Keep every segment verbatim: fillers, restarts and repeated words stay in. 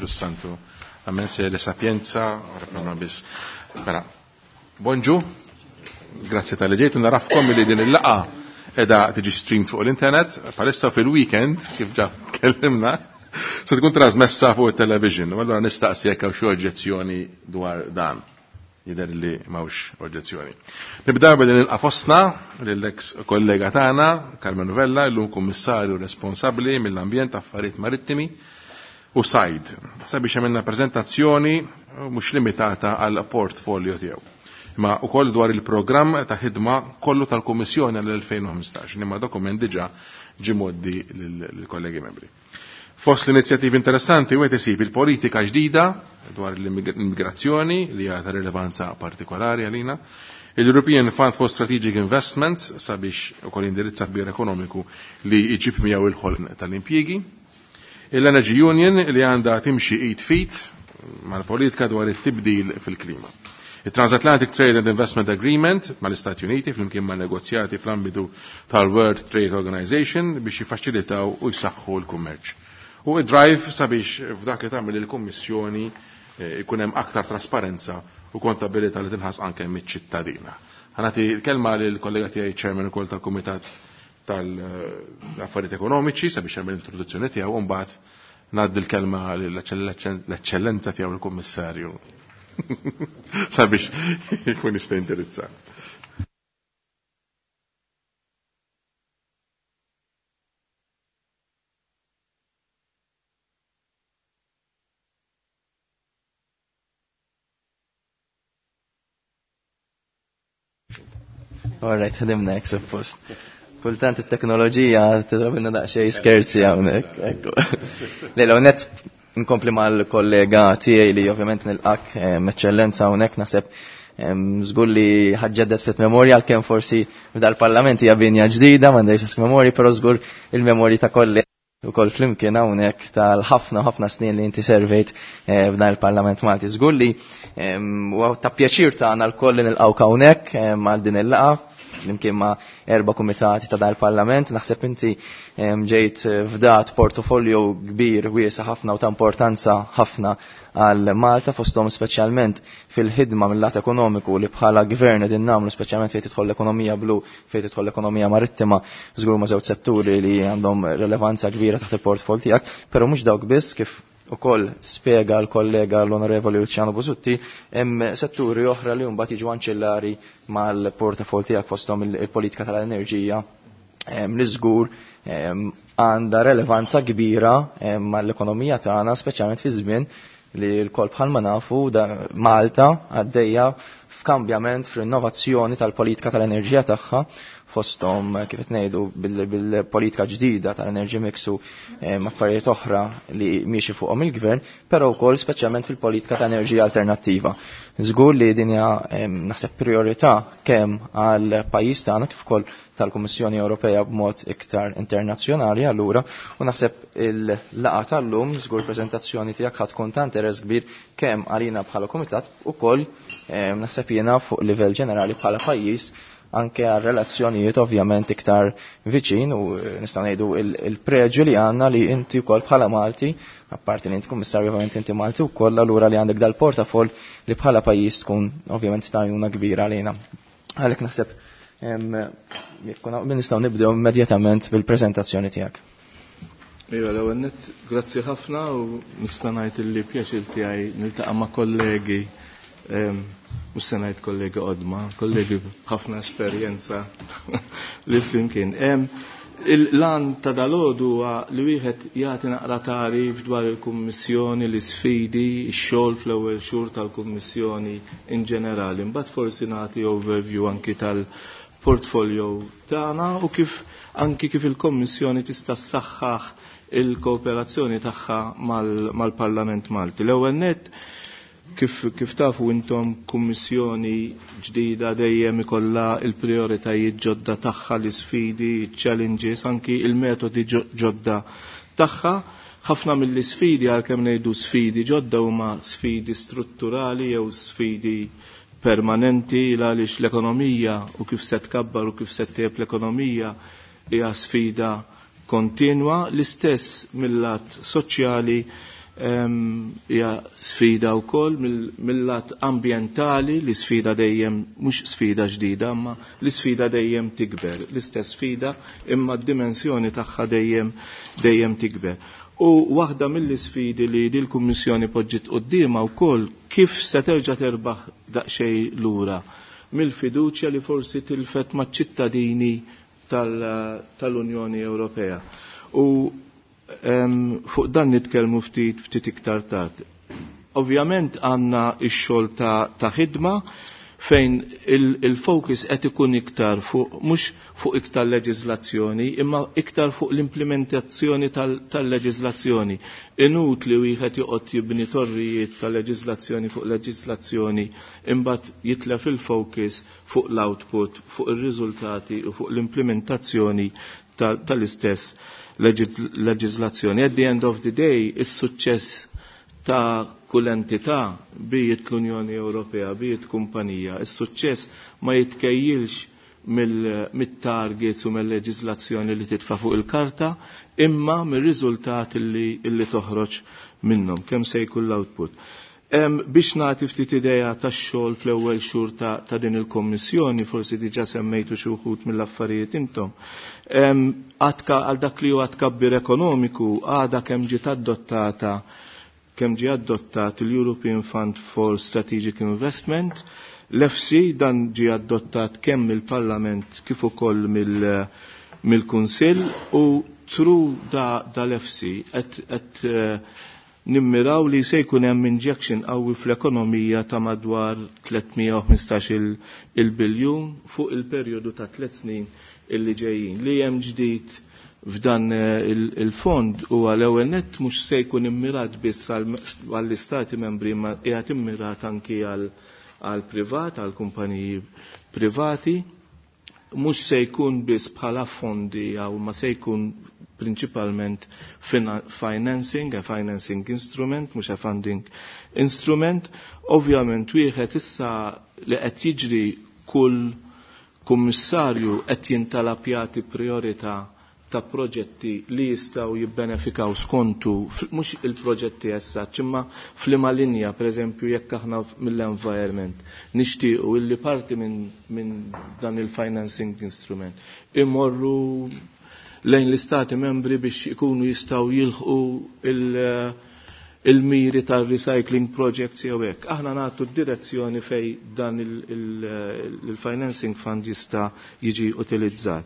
Santu. Amen se le sapienza, ora pro nobis. Mela, bonġu, grazzi tal-li ġejt, narafkom li din il-laqa edha tiġi streamed fuq l-internet, palissa fil-weekend, kif ġa kellimna, se tkun trasmessa fuq il-television. U allora nistaqsi jekk hawn xi oġġezzjoni dwar dan. Jidher li m'hawnx oġġezzjoni. Nibda billi nilqa' fostna lill-ex kollega tagħna, Carmen Vella, illum kummissarju responsabbli mill-ambjent, affarijiet marittimi u sajd. Sabiex għamilna preżentazzjoni mhux limitata għal portfolio tiegħu. Ma ukoll dwar il-programm ta' ħidma kollu tal-Kummissjoni għall-elfejn u ħmistax, imma dokument diġà ġie mgħoddi lill-kollegi membri. Fost l-inizjattivi interessanti wieħed isib il-politika ġdida dwar l-immigrazzjoni li hija ta' rilevanza partikolari għalina, il-European Fund for Strategic Investments sabiex ukoll indirizza tbir ekonomiku li jġib miegħu il-ħolq tal-impjiegi, l-Energy Union li għandha timxi id fit mal-politika dwar it-tibdil fil-klima. Il-Transatlantic Trade and Investment Agreement mal-Istati Uniti flimkien ma' negozjati fl-ambitu tal-World Trade Organization biex jiffaċilitaw u jsaħħu l-kummerċ. U id-drive sabiex f'dak li tagħmel il-Kummissjoni ikun hemm aktar trasparenza u kontabilità li tinħass anke miċ-ċittadina. Ħanati l-kelma lill-kollega tiegħi chairman ukoll tal-Kumitat tal-Affarijiet Ekonomiċi sabiex jagħmel l-introduzzjoni tiegħu u mbagħad ngħaddi l-kelma lill-eċċellenza tiegħu l-Kummissarju sabiex ikun jista' jindirizza. All right, ħdimna hekk suppost. Kultant it-teknoloġija tidrabilna daqsxejn skerzi hawnhekk, ekku. Le, l net nkompli mal-kollega tiegħi li ovvjament nilqak eċċellenza hawnhekk, naħseb żgur li ħaġġedet fit memorja għalkemm forsi f'dal-parlament hija binja ġdida m'għandix memorji, però żgur il-memorji ta' kollega ukoll flimkien hawnhekk tal-ħafna ħafna snin li inti servejt f'dan il-Parlament Malti. Żgur li huwa ta' pjaċir tagħna lkoll li nilqgħu hawnhekk għal din il-laqgħa flimkien ma' erba' kumitati ta' dan il-Parlament. Naħseb inti ġejt fdat portofolio kbir wiesa' ħafna u ta' importanza ħafna għal Malta, fosthom speċjalment fil-ħidma mill-lat ekonomiku li bħala gvern qegħdin nagħmlu, speċjalment fejn tidħol l-ekonomija blu, fejn tidħol l-ekonomija marittima, żgur ma' żewġ setturi li għandhom relevanza kbira taħt il-portfol tiegħek, però mhux dawk biss, kif ukoll spjega l-kollega l-Onorevoli Luciano Busutti, hemm setturi oħra li mbagħad jiġu anċillari mal-portafol tiegħek, fosthom il-politika tal-enerġija li żgur għandha relevanza kbira mal-ekonomija tagħna, speċjalment fi żmien li l-kol bħalma nafu Malta għaddejja f'kambjament f'rinnovazzjoni tal-politika tal-enerġija tagħha, fosthom kif qed ngħidu bil-politika ġdida tal-energy mix u affarijiet oħra li miexi fuqhom il-gvern, però wkoll speċjalment fil-politika ta' enerġija alternattiva. Żgur li din hija naħseb priorità kemm għal pajjiż tagħna kif ukoll tal-Kummissjoni Ewropea b'mod iktar internazzjonali allura, u naħseb il-laqgħa tal-lum żgur preżentazzjoni tiegħek ħadd tkun ta' interess kbir kemm għalina bħala kumitat ukoll naħseb jiena fuq livell ġenerali bħala pajjiż anke għal relazzjonijiet ovvjament iktar viċin, u nistgħu ngħidu il-preġu li għandna li inti wkoll bħala Malti, apparti li inti kummissarju ovvjament inti Malti wkoll, allura li għandek dal-portafol li bħala pajjiż tkun ovvjament tajuna kbira għalina. Għalhekk naħseb nistgħu nibdew immedjatament bil-preżentazzjoni tiegħek. Iva, l-ewwel nett grazzi ħafna u nista' ngħid illi pjaċir tiegħi niltaqa' ma' kollegi, mhux se ngħid kollegi qodma, kollegi b'ħafna esperjenza li flimkien. Il-lan ta' dalodu huwa li wieħed jagħti naqra tagħrif dwar il-Kummissjoni, l-isfidi, ix-xogħol fl-ewwel xhur tal-Kummissjoni in ġenerali. Imbagħad forsi nagħti overview anki tal-portfolio tagħna u kif anki kif il-Kommissjoni tista' ssaħħaħ il-kooperazzjoni tagħha mal-Parlament Malti. L-ewwel nett, kif, kif tafu intom kummissjoni ġdida dejjem ikollha il-prioritajiet ġodda tagħha, l-isfidi, challenges, anki il-metodi ġodda tagħha. Ħafna mill-isfidi, għalkemm ngħidu sfidi ġodda, huma sfidi strutturali jew sfidi permanenti, għaliex l-ekonomija u kif se tkabbar u kif se ttejjeb l-ekonomija hija sfida kontinwa. L-istess mill-lat soċjali Hija sfida wkoll mill-lat ambjentali li sfida dejjem mhux sfida ġdida imma l-isfida dejjem tikber. L-istess sfida imma d-dimensjoni tagħha dejjem dejjem tikber. U waħda mill-isfidi li dil-Kummissjoni poġġiet quddiemha wkoll kif se terġa' terbaħ daqsxejn lura mill-fiduċja li forsi tilfet maċ-ċittadini tal-Unjoni Ewropea. U fuq dan nitkellmu ftit ftit iktar tard. Ovvjament għandna x-xogħol ta', ta ħidma fejn il-focus qed ikun iktar fuq mhux fuq iktar leġiżlazzjoni, imma iktar fuq l-implementazzjoni tal-leġiżlazzjoni. Inutli wieħed joqgħod jibni torrijiet ta' leġiżlazzjoni fuq leġiżlazzjoni imbagħad jitlef il-focus fuq l-output, fuq ir-riżultati u fuq l-implementazzjoni tal-istess leġiżlazzjoni. At the end of the day, is-suċċess ta' kull entità bijiet l-Unjoni Ewropea, bijiet kumpanija, is-suċċess ma jitkejjilx mill-targets u mill-leġiżlazzjoni li titfa' fuq il-karta, imma mir-riżultati li, li toħroġ minnhom, kemm se jkun l-output. Biex nagħti ftit idea tax-xogħol fl-ewwel xhur ta', ta din il-Kommissjoni, forsi diġà semmejtu xi wħud mill-affarijiet intom. Għal dak li huwa tkabbir ekonomiku għadha kemm ġiet adottata kemm ġie adottat il-European Fund for Strategic Investment, l-E F S I dan ġie adottat kemm mill-Parlament kif ukoll mill-Kunsill u through da, dal-E F S I qed qed nimmiraw li se jkun hemm injection qawwi fl-ekonomija ta' madwar tliet mija u ħmistax il-biljun fuq il-perjodu ta' tliet snin illi ġejjin. Li hemm ġdid f'dan il-fond huwa l-ewwel nett mhux se jkun immirat biss għall-istati membri ma qiegħed immirat anki għal privat, għal kumpaniji privati, mhux se jkun biss bħala fondi jew ma se jkun prinċipalment financing, a financing instrument, mhux a funding instrument. Ovvjament wieħed issa li qed jiġri, kull kummissarju qed jintalab jagħti priorità ta' proġetti li jistgħu jibbenefikaw skontu, mhux il-proġetti essa, imma f'liema linja, per eżempju, jekk aħna mill-environment nixtiequ illi parti minn min dan il-financing instrument imorru lejn l-istati membri biex ikunu jistgħu jilħqu il- il-miri tal-recycling projects jew hekk. Aħna nagħtu d-direzzjoni fej dan il-financing fund jista' jiġi utilizzat.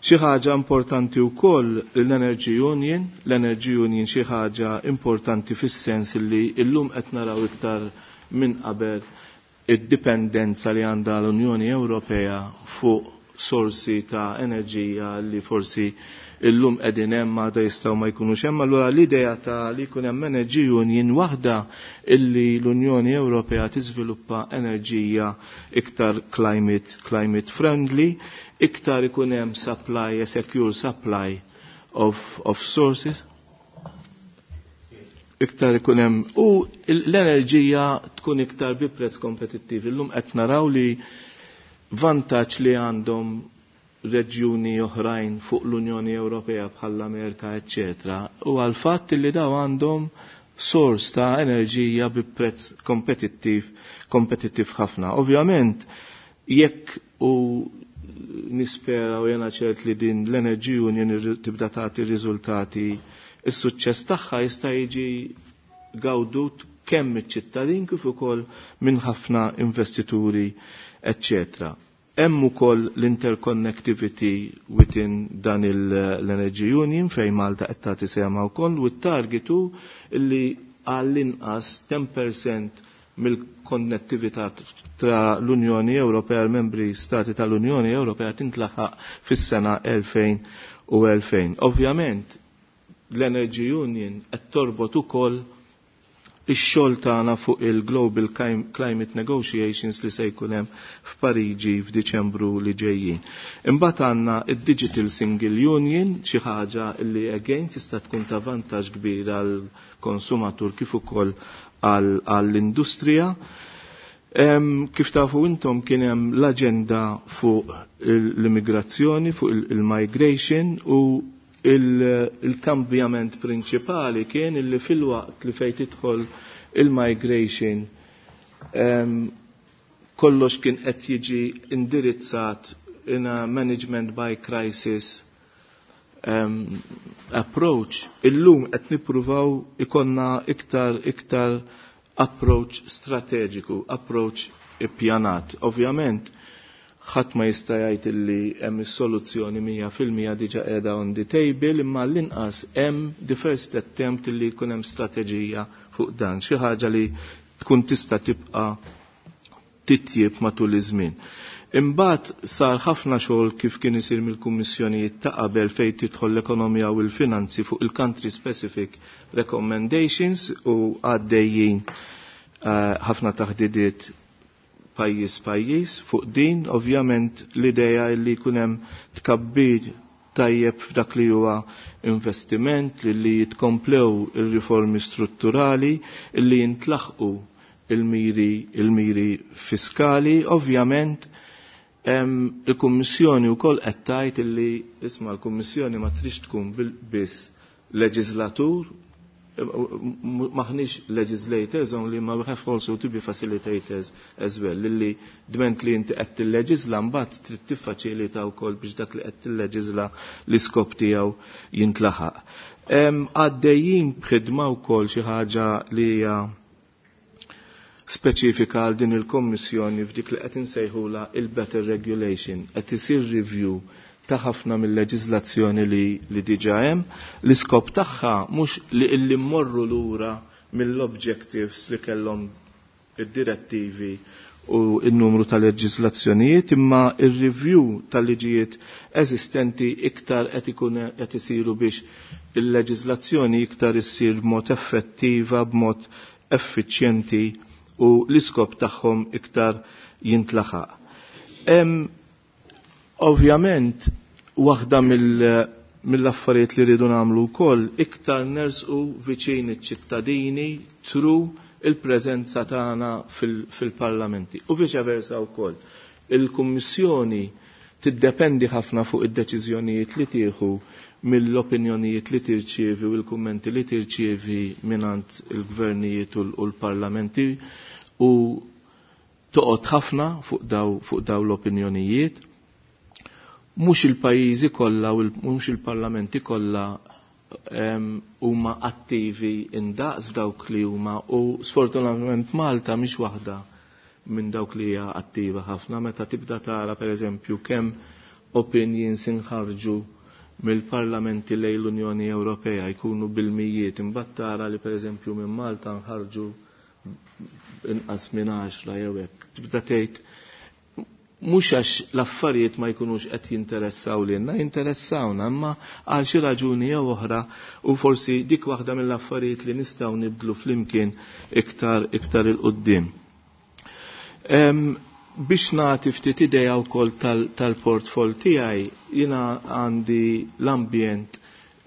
Xi ħaġa importanti wkoll l-Energy Union, l-Energy Union xi ħaġa importanti fis-sens li llum qed naraw iktar minn qabel id-dipendenza li għandha l-Unjoni Ewropea fuq sorsi ta' enerġija li forsi illum qegħdin hemm, għada jistgħu ma jkunux hemm. Allura l-idea ta' li jkun hemm Energy Union waħda illi l-Unjoni Ewropea tiżviluppa enerġija iktar climate, climate friendly, iktar ikun hemm supply, a secure supply of, of sources, iktar ikun hemm u l-enerġija tkun iktar bi prezz kompetittiv. Illum qed naraw li vantaġġ li għandhom reġjuni oħrajn fuq l-Unjoni Ewropea bħall-Amerika, eċċetera, u għal fatt li daw għandhom sors ta' enerġija bi prezz kompetittiv kompetittiv ħafna. Ovvjament, jekk u nispera u jena ċert li din l-Energy Union tibda tagħti riżultati, is-suċċess tagħha jista' jiġi gawdut kemm iċ-ċittadin kif ukoll minn ħafna investituri, eċċetera. Hemm ukoll l-interconnectivity within dan l-Energy Union fejn Malta qed tagħti sehemha wkoll u t-target hu li għall-inqas għaxra fil-mija mill-konnettività ta' l-Unjoni Ewropea, l-membri stati tal-Unjoni Ewropea, tintlaħaq fis-sena elfejn u elfejn. Ovvjament l-Energy Union qed torbot ukoll ix-xogħol tagħna fuq il-Global Climate Negotiations li se jkun hemm f'Pariġi f'Diċembru li ġejjin. Imbagħad għandna id-Digital Single Union, xi ħaġa li again tista' tkun ta' vantaġġ kbir għall-konsumatur kif ukoll għall-industrija. Kif tafu intom, kien hemm l-aġenda fuq l-immigrazzjoni, fuq il-migration u Il-kambjament prinċipali kien illi fil-waqt li fejn tidħol il-migration kollox kien qed jiġi indirizzat in a management by crisis um, approach. Illum qed nippruvaw ikonna iktar iktar approach strateġiku, approach ippjanat. Ovvjament, ħadd ma jista' jgħid illi hemm is-soluzzjoni mija fil-mija diġà qiegħda on the table, imma l-inqas hemm the first attempt illi jkun hemm strateġija fuq dan, xi ħaġa li tkun tista' tibqa' titjib matul iż-żmien. Imbagħad sar ħafna xogħol kif kien isir mill-kummissjonijiet ta' qabel fejn tidħol l-ekonomija u l-finanzi fuq il-country specific recommendations u għaddejjin eh, ħafna taħdidiet pajjiż pajjiż fuq din. Ovvjament l-idea li jkun hemm tkabbir tajjeb f'dak li huwa investiment, li, li jitkomplew ir-riformi strutturali, li jintlaħqu il-miri il-miri fiskali. Ovvjament il-Kummissjoni wkoll qed tgħid illi isma' l-Kummissjoni ma trix tkun biss leġislatur, maħniex legislators only, ma we have also to be facilitators as well. Illi dment li inti qed tilleġisla mbagħad trid tiffaċilita wkoll biex dak li qed tilleġisla l-iskop tiegħu jintlaħaq. Għaddejjin b'ħidma wkoll xi ħaġa li hija speċifika għal din il-Kommissjoni f'dik li qed insejħula il-Better Regulation, qed isir review ta' ħafna mill-leġiżlazzjoni li, li diġà hemm. L-iskop tagħha mhux li illi mmorru lura mill-objectives li kellhom id-direttivi u n-numru ta' leġiżlazzjonijiet, imma ir-review tal-liġijiet eżistenti iktar qed ikun qed isiru biex il-leġiżlazzjoni iktar issir b'mod effettiva, b'mod effiċjenti u l-iskop tagħhom iktar jintlaħaq. Ovvjament, waħda mill-affarijiet li rridu nagħmlu wkoll iktar nersqu viċin iċ-ċittadini tru il-preżenza tagħna fil-parlamenti. U viċa versa wkoll. Il-Kummissjoni tiddependi ħafna fuq id-deċiżjonijiet li tieħu mill-opinjonijiet li tirċievi u l-kummenti li tirċievi mingħand il-gvernijiet u l-parlamenti u toqgħod ħafna fuq daw, fuq daw l-opinjonijiet. Mhux il-pajjiżi kollha u mhux il-parlamenti kollha huma attivi indaqs f'dawk li huma u sfortunatament Malta mhix waħda minn dawk li hija attiva ħafna. Meta tibda tara pereżempju kemm opinions inħarġu mill-parlamenti lejn l-Unjoni Ewropea jkunu bil-mijiet, imbagħad tara li pereżempju minn Malta nħarġu inqas minn għaxra jew hekk. Tibda tgħid mhux għax l-affarijiet ma jkunux qed jinteressaw lilna, jinteressawna, imma għal xi raġuni jew oħra u forsi dik waħda mill-affarijiet li nistgħu nibdlu flimkien iktar iktar il qudiem. Biex nagħti ftit idea wkoll tal-portfol tiegħi, jiena għandi l-ambjent,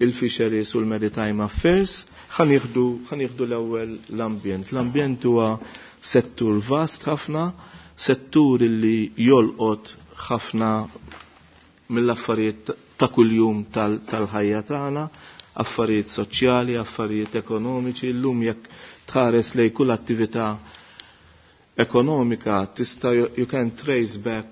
il-fisheries u l-maritime affairs. Ħa nieħdu l-ewwel l-ambjent. L-ambjent huwa settur vast ħafna, settur li jolqot ħafna mill-affarijiet ta' kuljum tal-ħajja tagħna, affarijiet soċjali, affarijiet ekonomiċi. Illum jekk tħares lej kull attività ekonomika tista' you can trace back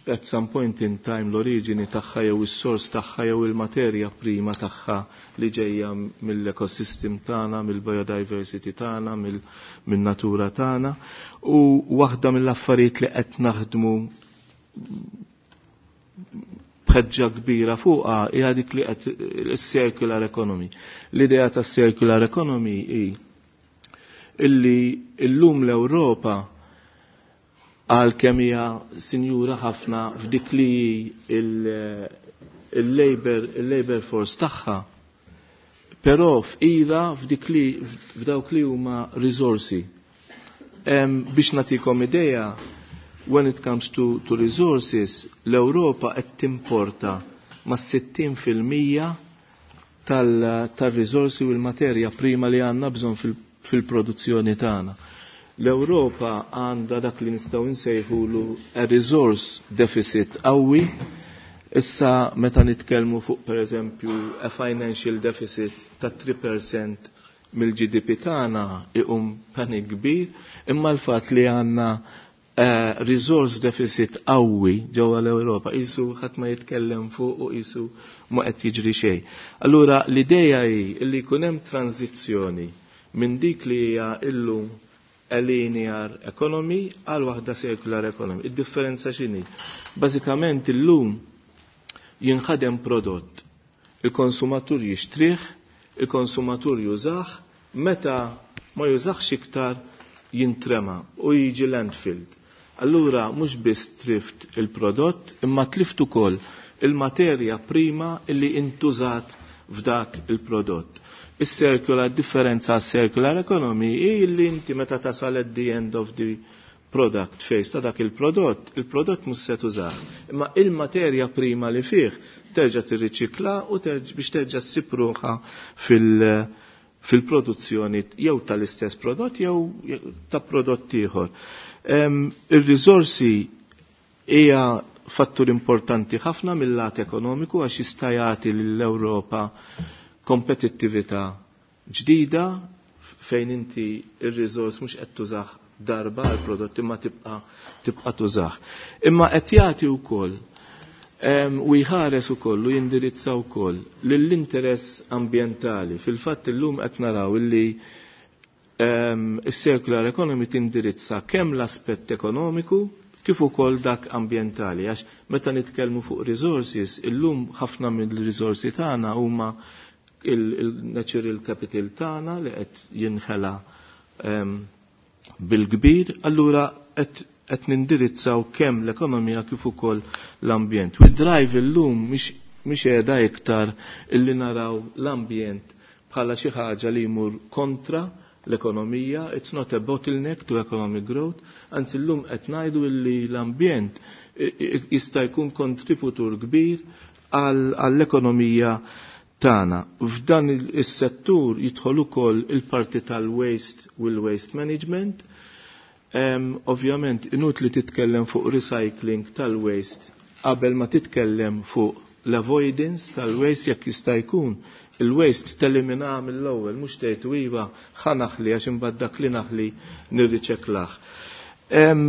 at some point in time l-oriġini tagħha jew is-sors tagħha jew il-materja prima tagħha li ġejja mill-ekosystem tagħna, mill-biodiversity tagħna, min-natura tagħna. U waħda mill-affarijiet li qed naħdmu b'ħeġġa kbira fuqha hija dik li qed is-circular economy. L-idea tas-circular economy hi illi illum l-Ewropa għal kemm hija sinjura ħafna f'dik li il-labor il-labor force tagħha, però f'ira f'dik li f'dawk li huma risorsi. Biex nagħtikom idea, when it comes to, to resources, l-Ewropa qed timporta ma' sittin fil-mija tal-risorsi u l-materja prima li għandna bżonn fil-produzzjoni tagħna. L-Ewropa għandha dak li nistgħu nsejħulu a resource deficit qawwi. Issa meta nitkellmu fuq pereżempju a financial deficit ta' three percent mill-G D P tagħna iqum panik kbir, imma l-fatt li għandna uh, resource deficit qawwi ġewwa l-Ewropa qisu ħadd ma jitkellem fuq u qisu ma qed jiġri xejn. Allura l-idea hi li jkun hemm tranzizzjoni minn dik li hija illum a linear economy għal waħda circular economy. Id-differenza x'inhi? Bażikament illum jinħadem prodott. Il-konsumatur jixtrih, il-konsumatur jużah, meta ma jużax iktar jintrema u jiġi landfilled. Allura mhux biss tlift il-prodott, imma tlift ukoll il-materja prima illi intużat f'dak il-prodott. Is-circular differenza circular economy hi li inti meta tasal at the end of the product phase ta' dak il-prodott, il-prodott mhux se tużah. Imma il-materja prima li fih terġa' tirriċikla u biex terġa' ssib ruħha fil- fil-produzzjoni jew tal-istess prodott jew ta' prodott ieħor. Ir-riżorsi hija fattur importanti ħafna mill-lat ekonomiku għax jista' jagħti lill-Ewropa kompetittività ġdida fejn inti ir-riżors mhux qed tużah darba għal prodott imma tibqa' tibqa' tużah. Imma qed jagħti wkoll u jħares ukoll u jindirizza wkoll lill-interess ambjentali. Fil-fatt illum qed naraw illi is-circular economy tindirizza kemm l-aspett ekonomiku kif ukoll dak ambjentali, għax meta nitkellmu fuq resources, illum ħafna mill-risorsi tagħna huma il-natural capital tagħna li qed jinħela bil-kbir, allura qed qed nindirizzaw kemm l-ekonomija kif ukoll l-ambjent. U drive illum mhix qiegħda iktar illi naraw l-ambjent bħala xi ħaġa li jmur kontra l-ekonomija, it's not a bottleneck to economic growth, anzi llum qed ngħidu illi l-ambjent jista' jkun kontributur kbir għall-ekonomija tagħna. F'dan is-settur jidħol ukoll il-parti tal-waste u l-waste management. Um, ovvjament, inutli titkellem fuq recycling tal-waste qabel ma titkellem fuq l-avoidance tal-waste. Jekk jista' jkun il-waste telimina mill-ewwel, mhux tgħid iva ħa naħli għax imbagħad dak li naħli nirriċeklah. Um,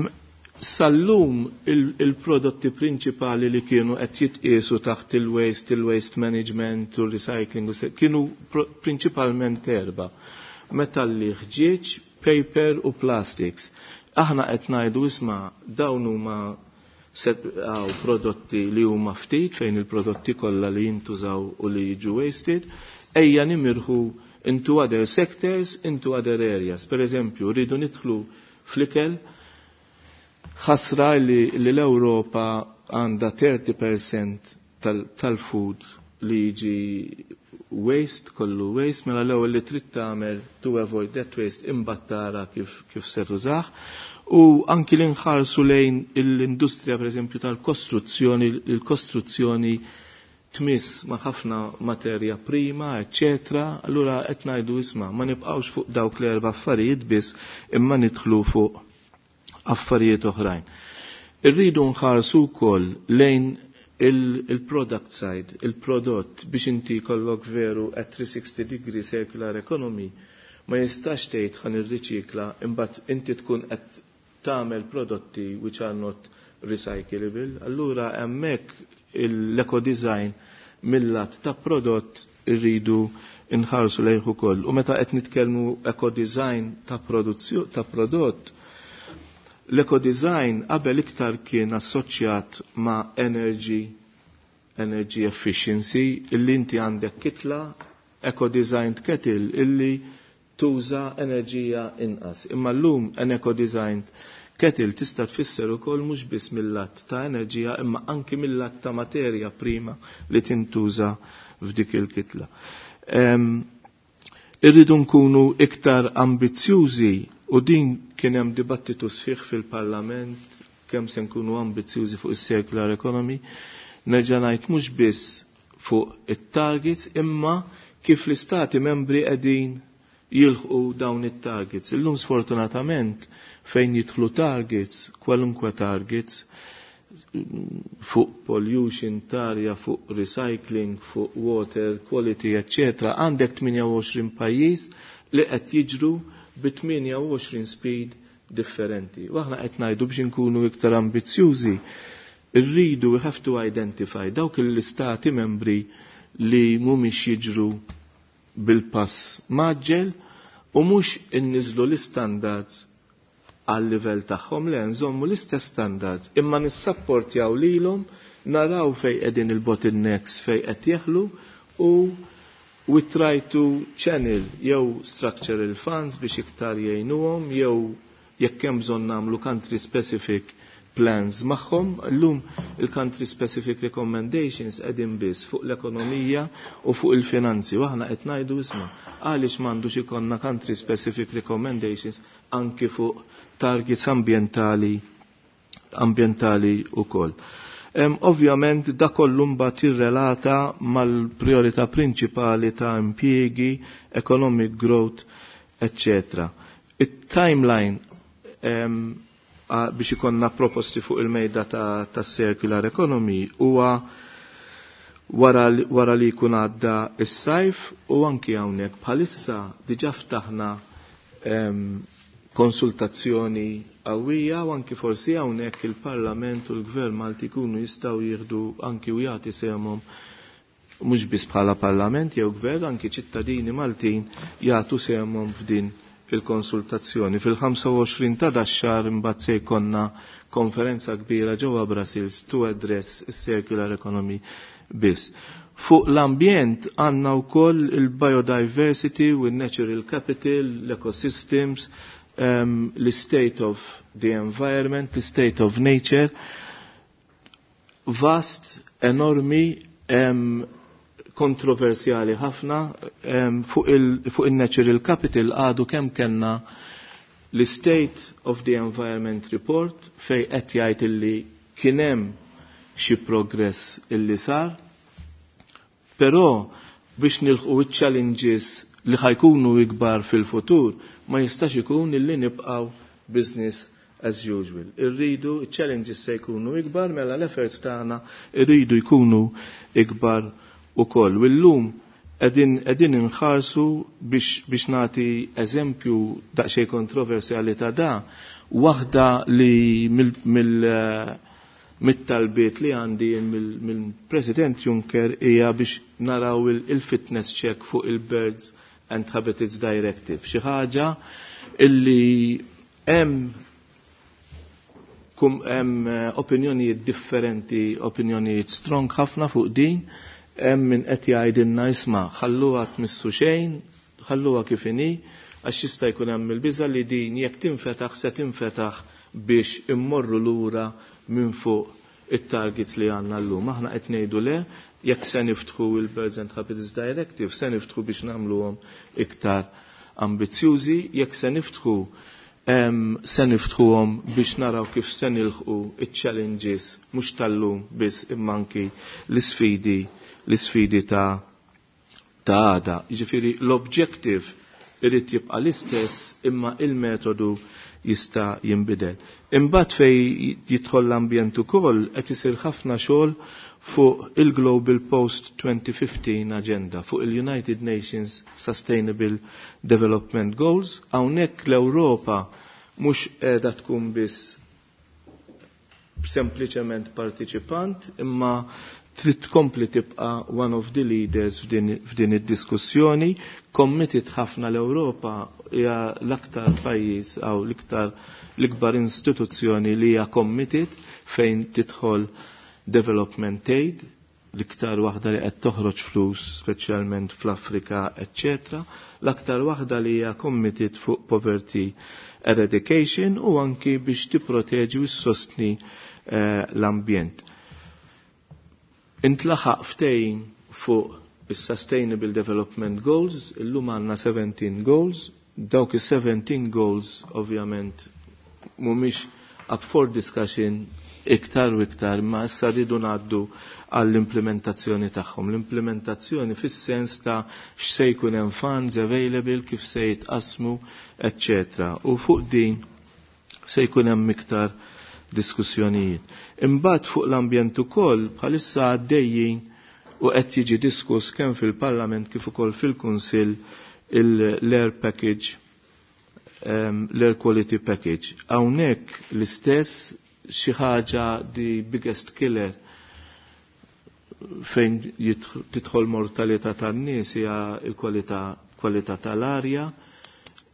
Sallum il-prodotti il prinċipali li kienu qed jitqiesu taħt il-waste, il-waste management u recycling kienu prinċipalment erba': metalli, ħġieġ, paper u plastics. Aħna qed ngħidu isma' dawn huma għaw prodotti li huma ftit fejn il-prodotti kollha li jintużaw u li jiġu wasted, ejja nimirħu into other sectors, into other areas. Per eżempju, rridu nidħlu fl-ikel. Ħasra li, li l-Ewropa għandha thirty percent tal-food tal li jiġi waste, kollu waste, mela l-ewwel li trid tagħmel to avoid that waste imbagħad tara kif, kif se tużah. U anki li nħarsu lejn l-industrija, per eżempju, tal-kostruzzjoni, il-kostruzzjoni tmiss ma' ħafna materja prima, eccetera, allura qed ngħidu isma' ma nibqgħux fuq dawk l-erba' affarijiet biss imma nidħlu fuq affarijiet oħrajn. Irridu nħarsu wkoll lejn il-product side, il-prodott, biex inti kollok veru at three sixty degree circular economy, ma jistax tgħid ħa nirriċikla imbagħad inti tkun qed tagħmel prodotti which are not recyclable. Allura hemmhekk l-eco design mill-lat ta' prodott irridu nħarsu lejh ukoll. U meta qed nitkellmu eco design ta' ta' prodott, l-eco design qabel iktar kien assoċjat ma' energy energy efficiency, illi inti għandek kitla eco designed kettle illi tuża enerġija inqas. Imma llum an eco designed kettle tista' tfisser ukoll mhux biss mill-lat ta' enerġija imma anki mill-lat ta' materja prima li tintuża f'dik il-kitla. Um, irridu nkunu iktar ambizzjużi u din kien hemm dibattitu sħiħ fil-Parlament kemm se nkunu ambizzjużi fuq is-circular economy. Nerġa' ngħid, mhux biss fuq it-targets imma kif l-istati membri qegħdin jilħqu dawn it-targets. Illum sfortunatament fejn jidħlu targets, kwalunkwe targets, fuq pollution tarja, fuq recycling, fuq water quality, eccetera. Għandek tmienja u għoxrin pajjiż li qed jiġru bi tmienja u għoxrin speed differenti. U aħna qed ngħidu biex inkunu iktar ambizzjużi, irridu, we have to identify dawk l-istati membri li mhumiex jiġru bil-pass mgħaġġel u mhux inniżlu l-standards għal livell tagħhom, le, nżommu l-istess standards imma nissapportjaw lilhom, naraw fej qegħdin il-bottlenecks, fej qed jeħlu, u we try to channel jew structural funds biex iktar jgħinuhom jew jekk hemm bżonn nagħmlu country specific plans magħhom. Illum il-country specific recommendations qegħdin biss fuq l-ekonomija u fuq il-finanzi. U aħna qed ngħidu, isma', għaliex m'għandux ikollna country specific recommendations anki fuq targets ambientali ambientali ukoll? Um, ovvjament da kollu mbagħad jirrelata mal-priorità prinċipali ta' impjiegi, economic growth, eccetera. Il-timeline um, biex ikonna proposti fuq il-mejda ta', ta circular economy huwa wara, wara li jkun għadda is-sajf, u anki hawnhekk bħalissa diġà ftaħna um, konsultazzjoni qawwija, u anki forsi hawnhekk il-Parlament u l-Gvern Malti jkunu jistgħu jieħdu anki u jagħti sehemhom, mhux biss bħala Parlament jew Gvern, anki ċittadini Maltin jagħtu sehemhom f'din fil-konsultazzjoni. Fil-ħamsa u għoxrin ta' dax-xahar imbagħad se jkollna konferenza kbira ġewwa Brussels to address is-circular economy biss. Fuq l-ambjent għandna wkoll il-biodiversity u natural capital, l-ecosystems, um, l-state of the environment, the state of nature, vast, enormi, um, kontroversjali ħafna. um, fuq il-natural il capital għadu kemm kellna l-State of the Environment Report fej qed jgħid illi kien hemm xi progress illi sar, però biex nilħqu challenges li ħa jkunu ikbar fil-futur ma jistax ikun illi nibqaw business as usual. Irridu, challenges se jkunu ikbar, mela l-efforts tagħna irridu jkunu ikbar ukoll. U llum qegħdin qegħdin inħarsu biex, biex nagħti eżempju daqsxejn kontroversjali ta' da, waħda li mill, mill mit-talbiet li għandi mill-President Juncker hija biex naraw il-fitness check fuq il-Birds and Habitats Directive. Xi ħaġa illi hemm kum hemm eh, opinjonijiet differenti, opinjonijiet strong ħafna fuq din, hemm min qed jgħidilna, isma', ħalluha, tmissu xejn, ħalluha kif inhi, għax jista' jkun hemm il-biża li din jekk tinfetaħ se tinfetaħ biex immorru lura minn fuq it-targets li għandna llum. Aħna qed ngħidu le, jekk se niftħu il-Birds and Habitats Directive, se niftħu biex nagħmluhom iktar ambizzjużi, jekk se niftħu um, se niftħuhom biex naraw kif se nilħqu iċ-challenges mhux tal-lum biss imma anki l-isfidi l-isfidi ta' ta' għada. Jiġifieri l-objective irid jibqa' l-istess imma il-metodu jista' jinbidel. Imbagħad fej jidħol l-ambjent ukoll qed isir ħafna xogħol fuq il-Global Post twenty fifteen Agenda, fuq il-United Nations Sustainable Development Goals. Hawnhekk l-Ewropa mhux qiegħda tkun biss sempliċement partiċipant, imma trid tkompli tibqa' one of the leaders f'din id-diskussjoni. Committed ħafna, l-Ewropa hija l-aktar pajjiż aw l-iktar l-ikbar istituzzjoni li hija committed fejn tidħol development aid, l-iktar waħda li qed toħroġ flus speċjalment fl-Afrika, eċċetera. L-aktar waħda li hija committed fuq poverty eradication u anki biex tipproteġi u ssostni eh, l-ambjent. Intlaħaq ftehim fuq is-Sustainable Development Goals, illum għandna seventeen goals, dawk is-seventeen goals ovvjament mhumiex up for discussion iktar u iktar, ma issa rridu ngħaddu għall-implementazzjoni tagħhom. L-implementazzjoni fis-sens ta' x'se jkun hemm funds available, kif se jitqasmu, eċċetera. U fuq din se jkun hemm iktar diskussjonijiet. Imbagħad fuq l-ambjent ukoll bħalissa għaddejjin u qed jiġi diskuss kemm fil-Parlament kif ukoll fil-Kunsill l-air package, um, l-air quality package. Hawnhekk l-istess xi ħaġa the biggest killer fejn tidħol mortalità tan-nies hija l-kwalità kwalità tal-arja.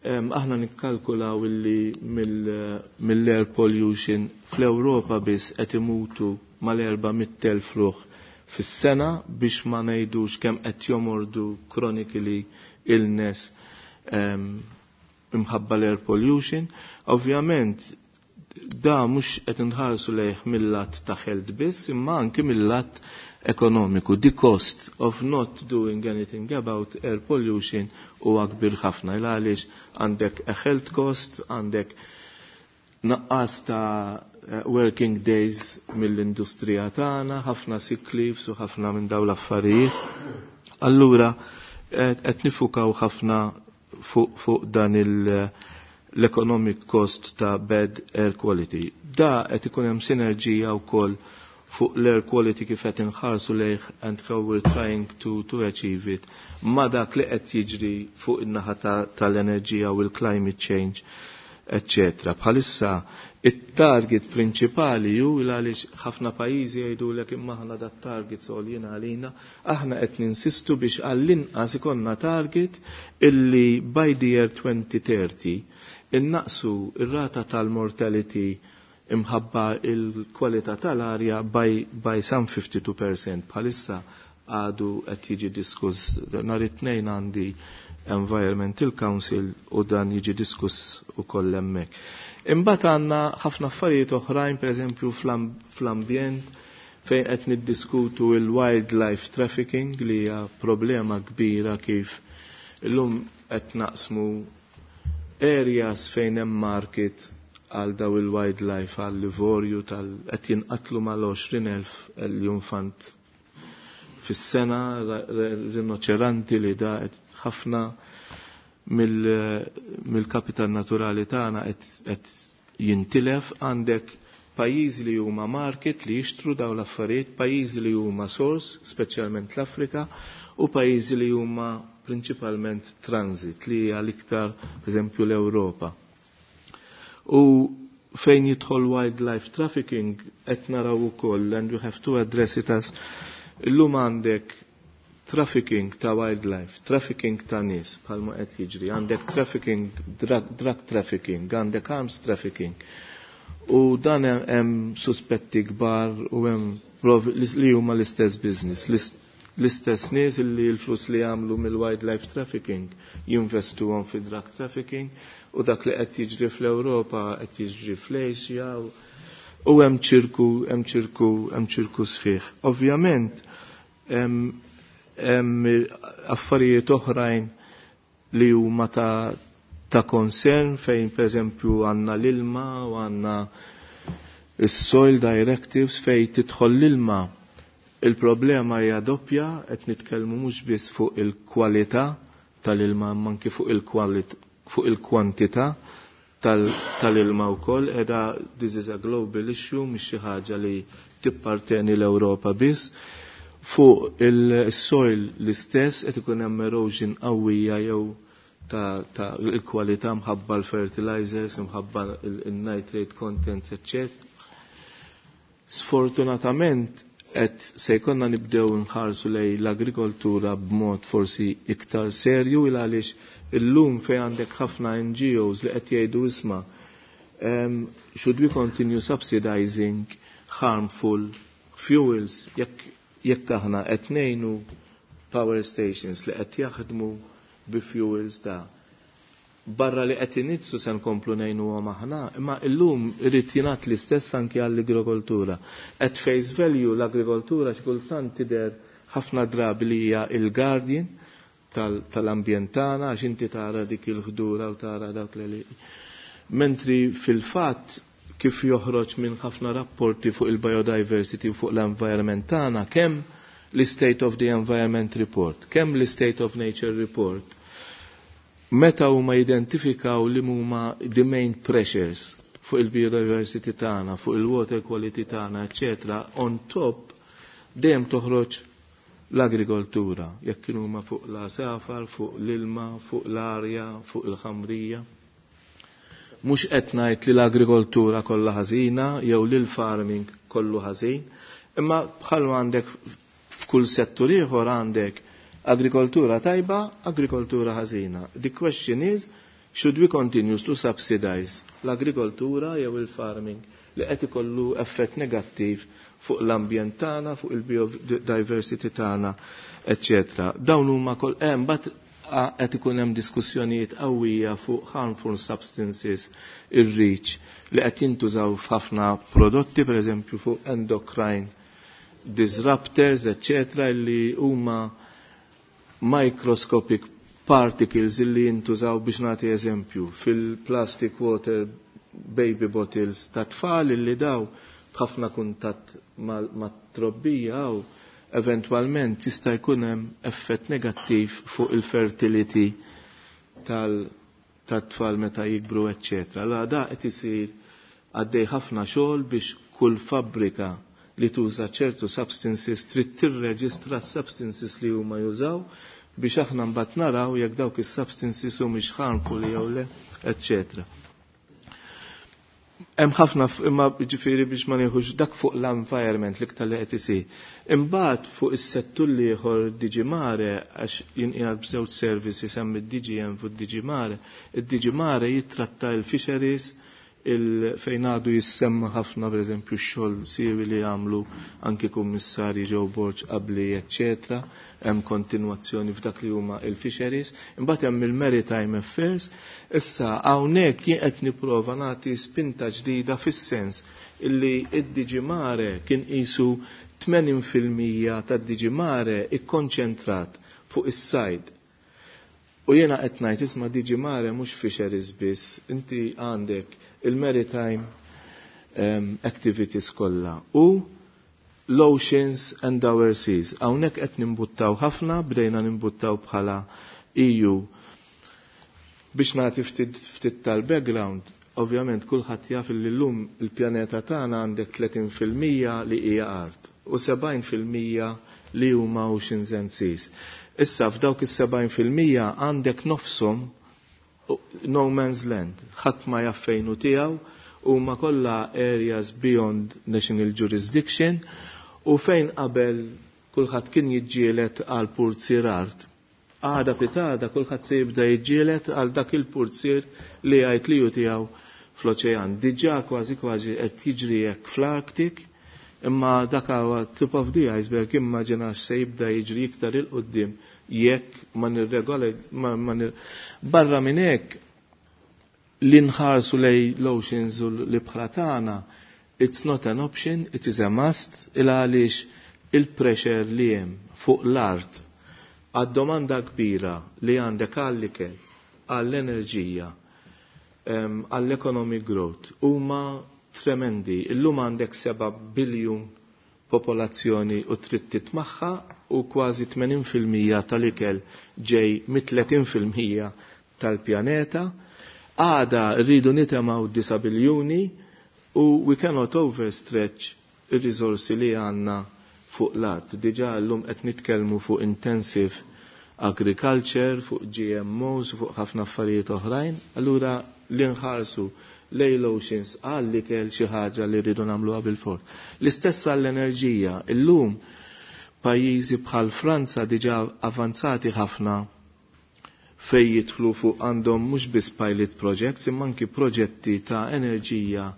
Aħna nikkalkulaw illi mill-air pollution fl-Ewropa biss qed imutu mal-erba' mitt elf ruħ fis-sena biex ma ngħidux kemm qed jomordu chronically illness imħabba l-air pollution. Ovvjament da mhux qed inħarsu lejh mill-lat ta' health biss, imma anki mill-lat ekonomiku. The cost of not doing anything about air pollution huwa kbir ħafna. Il għaliex għandek a health cost, għandek naqqas ta' working days mill-industrija tagħna, ħafna sick leaves u ħafna minn dawn l-affarijiet. Allura qed nifukaw ħafna fuq fu dan il- l-economic cost ta' bad air quality. Da qed ikun hemm sinerġija wkoll fuq l-air quality kif qed inħarsu lejh and how we're trying to, to achieve it ma dak li qed jiġri fuq in-naħa tal-enerġija u l-climate change, eccetera. Bħalissa it-target prinċipali ju għaliex ħafna pajjiżi jgħidulek imma aħna dat target għoljin għalina, aħna qed ninsistu biex għall-inqas ikollna target illi by the year twenty thirty innaqsu ir-rata tal-mortality imħabba il-kwalità tal-arja by, by some fifty-two percent. Bħalissa għadu qed jiġi diskuss nhar it-tnejn għandi Environmental Council u dan jiġi diskuss ukoll hemmhekk. Imbagħad għandna ħafna affarijiet oħrajn, pereżempju fl-ambjent fejn qed niddiskutu il-wildlife trafficking li hija problema kbira kif illum qed naqsmu areas fejn hemm market għal daw il-wildlife, għal livorju tal qed jinqatlu mal-għoxrin elf l-infant fis-sena, rinoċeranti li da qed ħafna mill-kapital naturali tagħna qed jintilef. Għandek pajjiżi li huma market li jixtru daw l-affarijiet, pajjiżi li huma source, speċjalment l-Afrika, u pajjiżi li huma prinċipalment transit li hija l-iktar pereżempju l-Ewropa. U fejn jidħol wildlife trafficking qed naraw ukoll, and we have to address it as illum għandek trafficking ta' wildlife, trafficking ta' nies bħalma qed jiġri, għandek trafficking, drug, drug trafficking, għandek arms trafficking. U dan hemm suspetti kbar u hemm li huma l-istess business, l-istess nies li l-flus li jagħmlu mill-wildlife trafficking jinvestuhom fi drug trafficking, u dak li qed jiġri fl-Ewropa qed jiġri fl-Asja u hemm ċirku, hemm ċirku, hemm ċirku sħiħ. Ovvjament hemm affarijiet oħrajn li huma ta' ta' concern fejn pereżempju għandna l-ilma u għandna is-soil directives fejn tidħol l-ilma. Il-problema hija doppja, qed nitkellmu mhux biss fuq il-kwalità tal-ilma imma anki fuq il-kwalit fuq il-kwantità tal-ilma wkoll. Qiegħda this is a global issue, mhix xi ħaġa li tipparteni l-Ewropa biss. Fuq il-soil l-istess qed ikun hemm erosion qawwija jew ta', ta il-kwalità mħabba l-fertilizers, mħabba il-nitrate contents, eċċetera. Sfortunatament qed se jkollna nibdew nħarsu lej l-agrikoltura b'mod forsi iktar serju, il għaliex illum fejn għandek ħafna N G Os li qed jgħidu isma' um, should we continue subsidizing harmful fuels jekk jekk aħna qed ngħinu power stations li qed jaħdmu bi fuels ta' barra li qed inizzu se nkomplu ngħinuhom aħna, imma illum irid jingħad l-istess anki għall-agrikoltura. At face value l-agrikoltura xi kultant tidher ħafna drabi li hija il-guardian tal-ambjent tagħna għax inti tara dik il-ħdura u tara dak li. Mentri fil-fatt kif joħroġ minn ħafna rapporti fuq il-biodiversity u fuq l-environment tagħna, kemm l-State of the Environment Report, kemm l-State of Nature Report, meta huma identifikaw li huma the main pressures fuq il-biodiversity tagħna, fuq il-water quality tagħna, eċetera, on top dejjem toħroġ l-agrikoltura, jekk kienu huma fuq l-għasafar, fuq l-ilma, fuq l-arja, fuq il-ħamrija. Mhux qed ngħid li l-agrikoltura kollha ħażina jew li l-farming kollu ħażin, imma bħalma għandek f'kull settur ieħor għandek agrikoltura tajba, agrikoltura ħażina. The question is, should we continue to subsidize l-agrikoltura jew il-farming li qed ikollu effett negattiv fuq l-ambjent tagħna, fuq il-biodiversity tagħna, eċċetera. Dawn huma kol hemm bat qed ikun hemm diskussjonijiet qawwija fuq harmful substances ir-reach li qed jintużaw f'ħafna prodotti, pereżempju fuq endocrine disruptors, eċċetera, li huma microscopic particles illi jintużaw biex nagħti eżempju fil-plastic water baby bottles ta' tfal illi daw b'ħafna kuntatt mat-trobbija u eventwalment jista' jkun hemm effett negattiv fuq il-fertility tal-tfal meta jikbru, eċċetera. Allora da qed isir għaddej ħafna xogħol biex kull fabbrika li tuża ċertu substances trid tirreġistra substances li huma jużaw biex aħna mbagħad naraw jekk dawk is-substances humiex harmful jew le, eċċetera. Hemm ħafna imma ġifieri biex ma nieħux dak fuq l-environment l-iktar li qed isir. Imbagħad fuq is-settur l-ieħor D G Mare, għax jinqiegħed b'żewġ services, hemm id-D G M fuq D G Mare. Id-D G Mare jittratta l-fisheries, fejn għadu jissemma ħafna, pereżempju, x-xogħol siewi li jagħmlu anki kummissarji Joe Borg qabli, eċċetera, hemm kontinwazzjoni f'dak li huma il-fisheries, imbagħad hemm il-maritime affairs. Issa hawnhekk jien qed nipprova nagħti spinta ġdida fis-sens illi id-D G Mare kien qisu tmenin fil-mija tad-D G Mare ikkonċentrat fuq is-sajd. U jiena qed ngħid, isma', D G Mare mhux fisheries biss, inti għandek il-maritime um, activities kollha u l-oceans and our seas. Hawnhekk qed nimbuttaw ħafna, bdejna nimbuttaw bħala E U. Biex nagħti ftit, ftit tal-background, ovvjament kulħadd jaf li llum il-pjaneta tagħna għandek tletin fil-mija li hija art u sebgħin fil-mija li huma oceans and seas. Issa f'dawk is-sebgħin fil-mija għandek nofshom no man's land, ħadd ma jaf fejn hu tiegħu, huma kollha areas beyond national jurisdiction, u fejn qabel kulħadd kien jiġġieled għal purzier art. Għada pitgħada kulħadd se jibda jiġġieled għal dak il-purzier li jgħid li hu tiegħu fl-oċean. Diġà kważi kważi qed jiġri hekk fl-Arctic, imma dak huwa tip of the iceberg, immaġina se jibda jiġri iktar 'il quddiem jekk ma nirregola ma, ma nir... Barra minn hekk, li nħarsu lejn l-oceans u l-ibħra tagħna, it's not an option, it is a must, il għaliex il-pressure li hemm fuq l-art għad-domanda kbira li għandek għall-ikel, għall-enerġija, għall-economic growth, huma tremendi. Illum għandek seba' biljun popolazzjoni u trid titmagħha u kważi tmenin fil-mija tal-ikel ġej mit-tletin fil-mija tal-pjaneta. Għada rridu nitimgħu disa' biljuni u we cannot overstretch ir-risorsi li għandna fuq l-art. Diġà llum qed nitkellmu fuq intensive agriculture, fuq G M Os, fuq ħafna affarijiet oħrajn. Allura li nħarsu lejn l-oceans għall-ikel xi ħaġa li rridu nagħmluha bil-fort. L-istess għall-enerġija, illum pajjiżi bħal Franza diġà avanzati ħafna fej jidħlu fuq għandhom mhux biss pilot projects imma anki proġetti ta' enerġija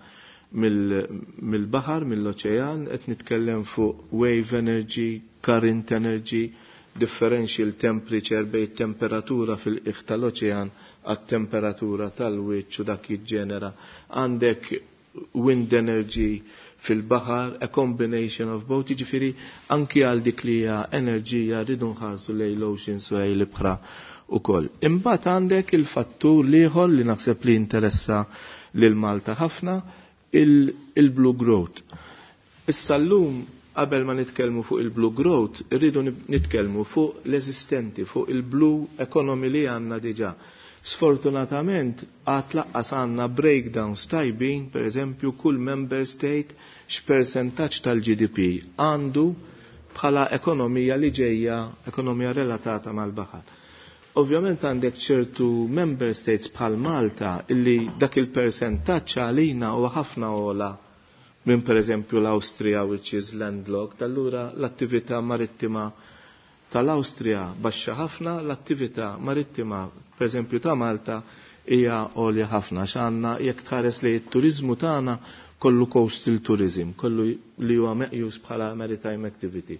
mill-baħar, mill-oċean, qed nitkellem fuq wave energy, current energy, differential temperature bejn temperatura fil-qiegħ tal-oċean għat-temperatura tal-wiċċ u dak jiġġenera. Għandek wind energy fil-baħar, a combination of both, jiġifieri anki għal dik li hija enerġija rridu nħarsu lejn l-oceans u lejn l-ibħra ukoll. Imbagħad għandek il-fattur l-ieħor li naħseb li interessa lil Malta ħafna, il-blue growth. Issa llum qabel ma nitkellmu fuq il-blue growth, irridu nitkellmu fuq l-eżistenti, fuq il-blue economy li għandna diġà. Sfortunatament, għad lanqas għandna breakdowns tajbin, per eżempju, kull member state x'percentaġġ tal-G D P għandu bħala ekonomija li ġejja, ekonomija relatata mal-baħar. Ovvjament għandek ċertu member states bħal Malta illi dak il-percentaġġ għalina huwa ħafna ogħla minn, per eżempju, l-Awstrija, which is landlocked. Allura l-attività marittima tal-Awstrija baxxa ħafna, l-attività marittima, per eżempju, ta' Malta hija għolja ħafna x'għandna, jekk tħares li t-turizmu tagħna kollu coastal tourism, kollu li huwa meqjus bħala maritime activity.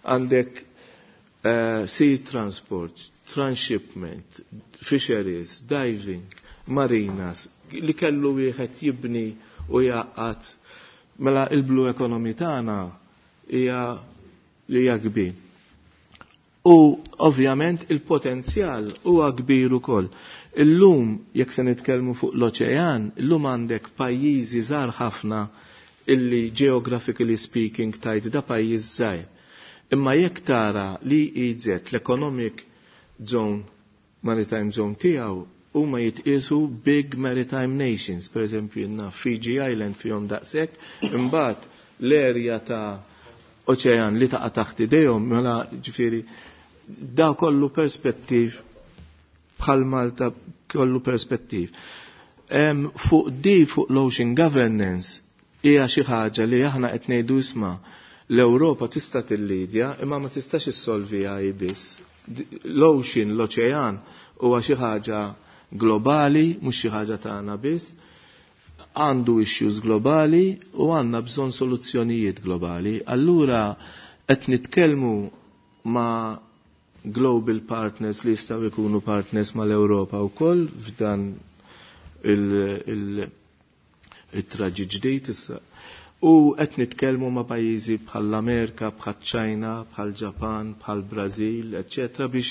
Għandek uh, sea transport, transshipment, fisheries, diving, marinas, li kellu wieħed jibni u jgħaqqad. Mela il-blue economy tagħna hija li hija kbir. U ovvjament il-potenzjal huwa kbir ukoll. Illum, jekk se nitkellmu fuq l-oċean, illum għandek pajjiżi żgħar ħafna illi, geographically speaking, tgħid da pajjiż żgħir. Imma jekk tara li E E Z, l-Economic Zone, Maritime Zone tiegħu, huma jitqiesu big maritime nations, per eżempju jenna Fiji Island fihom daqshekk, imbagħad l-erja ta' oċean li taqa' taħt idejhom, mela ġifieri da kollu perspettiv bħal Malta kollu perspettiv. Um, fuq di fuq l-ocean governance hija xi ħaġa li aħna qed ngħidu, isma', l-Ewropa tista' tillidja imma ma tistax issolviha hi biss. L-ocean, l-oċean huwa xi ħaġa globali, mhux xi ħaġa tagħna biss. Għandu issues globali u għandna bżonn soluzzjonijiet globali. Allura qed nitkellmu ma' global partners li jistgħu jkunu partners mal-Ewropa wkoll f'dan il-traġi ġdid issa. U qed nitkellmu ma' pajjiżi bħall-Amerika, bħal-Ċajna, bħal-Ġapan, bħal-Brażil, eċċetera biex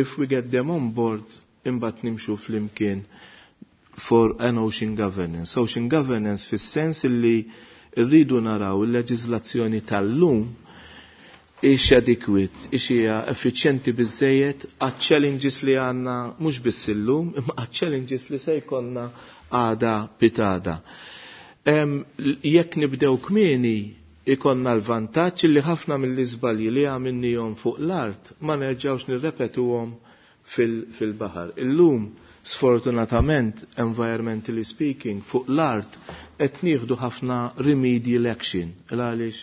if we get them on board imbagħad nimxu flimkien for an ocean governance. Ocean governance fis-sens illi rridu naraw il-leġiżlazzjoni tal-lum ix adequate, ix hija effiċjenti biżejjed għat-challenges li għandna mhux biss illum, imma għat-challenges li se jkollna għada pitgħada. Jekk nibdew kmieni ikonna l-vantaġġ li ħafna mill-iżbalji li għamilnihom fuq l-art ma nerġgħux nirrepetuhom fil-baħar. Illum, sfortunatament, environmentally speaking, fuq l-art qed nieħdu ħafna remedial action. Għaliex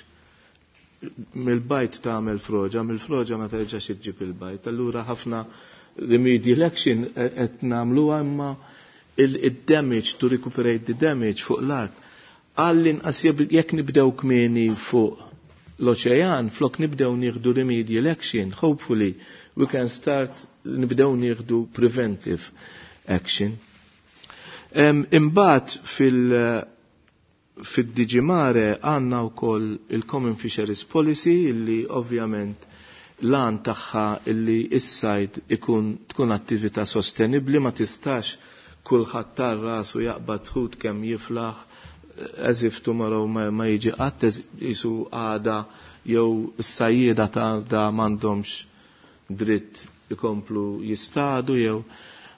mill-bajd tagħmel froġa, mill-froġa ma terġax iġġib il-bajd. Allura ħafna remedial action qed nagħmluha, imma il-damage, to recuperate the damage fuq l-art. Għall-inqas jekk nibdew kmieni fuq l-oċean, flok nibdew nieħdu remedial action, hopefully we can start nibdew nieħdu preventive action. Um, imbagħad fil- fid-D G Mare għandna wkoll il-Common Fisheries Policy illi ovvjament l-għan tagħha illi is-sajd ikun tkun attività sostenibli. Ma tistax kulħadd tar rasu jaqbad ħut kemm jiflaħ as if tomorrow ma, ma jiġi qatt, jisu għada jew is-sajjieda ta' da m'għandhomx dritt ikomplu jistadu jew.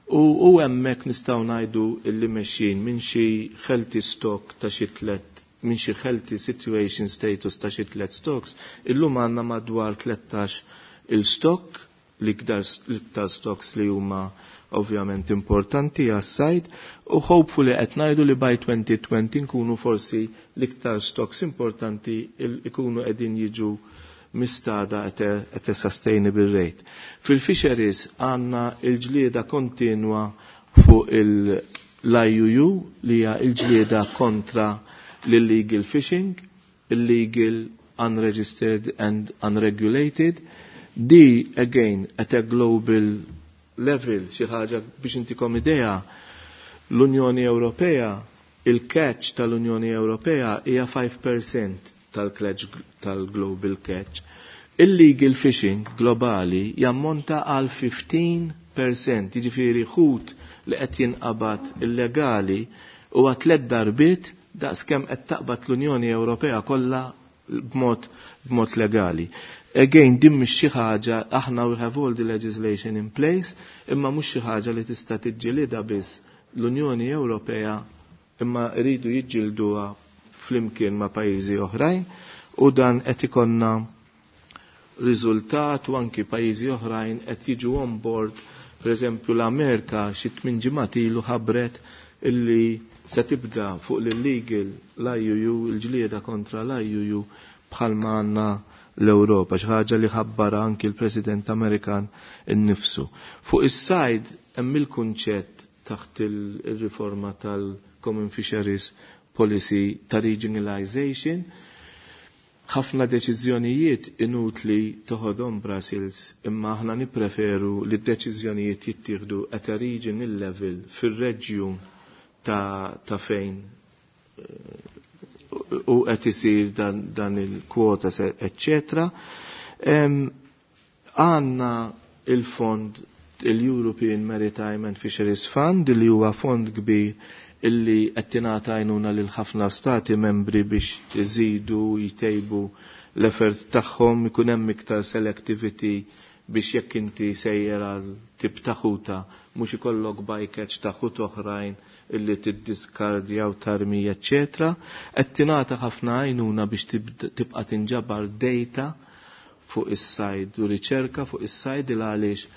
U, u hemmhekk nistgħu ngħidu illi mexjin minn xi healthy stock ta' xi tlet minn xi healthy situation status ta' xi tlet stocks, illum għandna madwar tlettax il-stock, l-iktar stocks li huma ovvjament importanti għas-sajd, u hopefully qed ngħidu li by twenty twenty nkunu forsi l-iktar stocks importanti ikunu qegħdin jiġu mistada at a, at a sustainable rate. Fil-fisheries għandna il-ġlieda kontinwa fuq l-I U U li hija il-ġlieda kontra l-illegal fishing, illegal, unregistered and unregulated. Di, again, at a global level, xi ħaġa biex intikom idea, l-Unjoni Ewropea, il-catch tal-Unjoni Ewropea hija five percent tal-global catch. Illegal fishing globali jammonta għal fifteen percent, jiġifieri ħut li qed jinqabad illegali u tliet darbiet daqs kemm qed taqbad l-Unjoni Ewropea kollha b'mod b'mod legali. Again, din mhix xi ħaġa, aħna we have all the legislation in place, imma mhux xi ħaġa li tista' tiġġielidha biss l-Unjoni Ewropea, imma rridu jiġġielduha flimkien ma' pajjiżi oħrajn, u dan qed ikollna riżultat u anki pajjiżi oħrajn qed jiġu on board. Per eżempju l-Amerika xi tmien ġimgħat ilu ħabbret illi se tibda fuq l-illegal l-I U U, il-ġlieda kontra l-I U U bħalma għandna l-Ewropa, xi ħaġa li ħabbara anki l-President Amerikan innifsu. Fuq is-sajd hemm il-kunċett taħt il-riforma tal-Common Fisheries Policy ta' regionalization. Ħafna deċiżjonijiet inutli toħodhom Brussels, imma aħna nippreferu li d-deċiżjonijiet jittieħdu at a regional level fir-reġjun ta', ta fejn eh, u qed isir dan, dan il-kwota, eccetera. Għandna il-fond, il-European Maritime and Fisheries Fund, li huwa fond kbir illi qed tingħata għajnuna lil ħafna stati membri biex iżidu jtejbu l-effort tagħhom, ikun hemm iktar selectivity biex jekk inti sejjer għal tip ta' ħuta mhux ikollok bycatch ta' ħut oħrajn illi tiddiskardja u tarmi, eċċetera. Qed tingħata ħafna għajnuna biex tibqa' tinġabar data fuq is-sajd u riċerka fuq is-sajd, il għaliex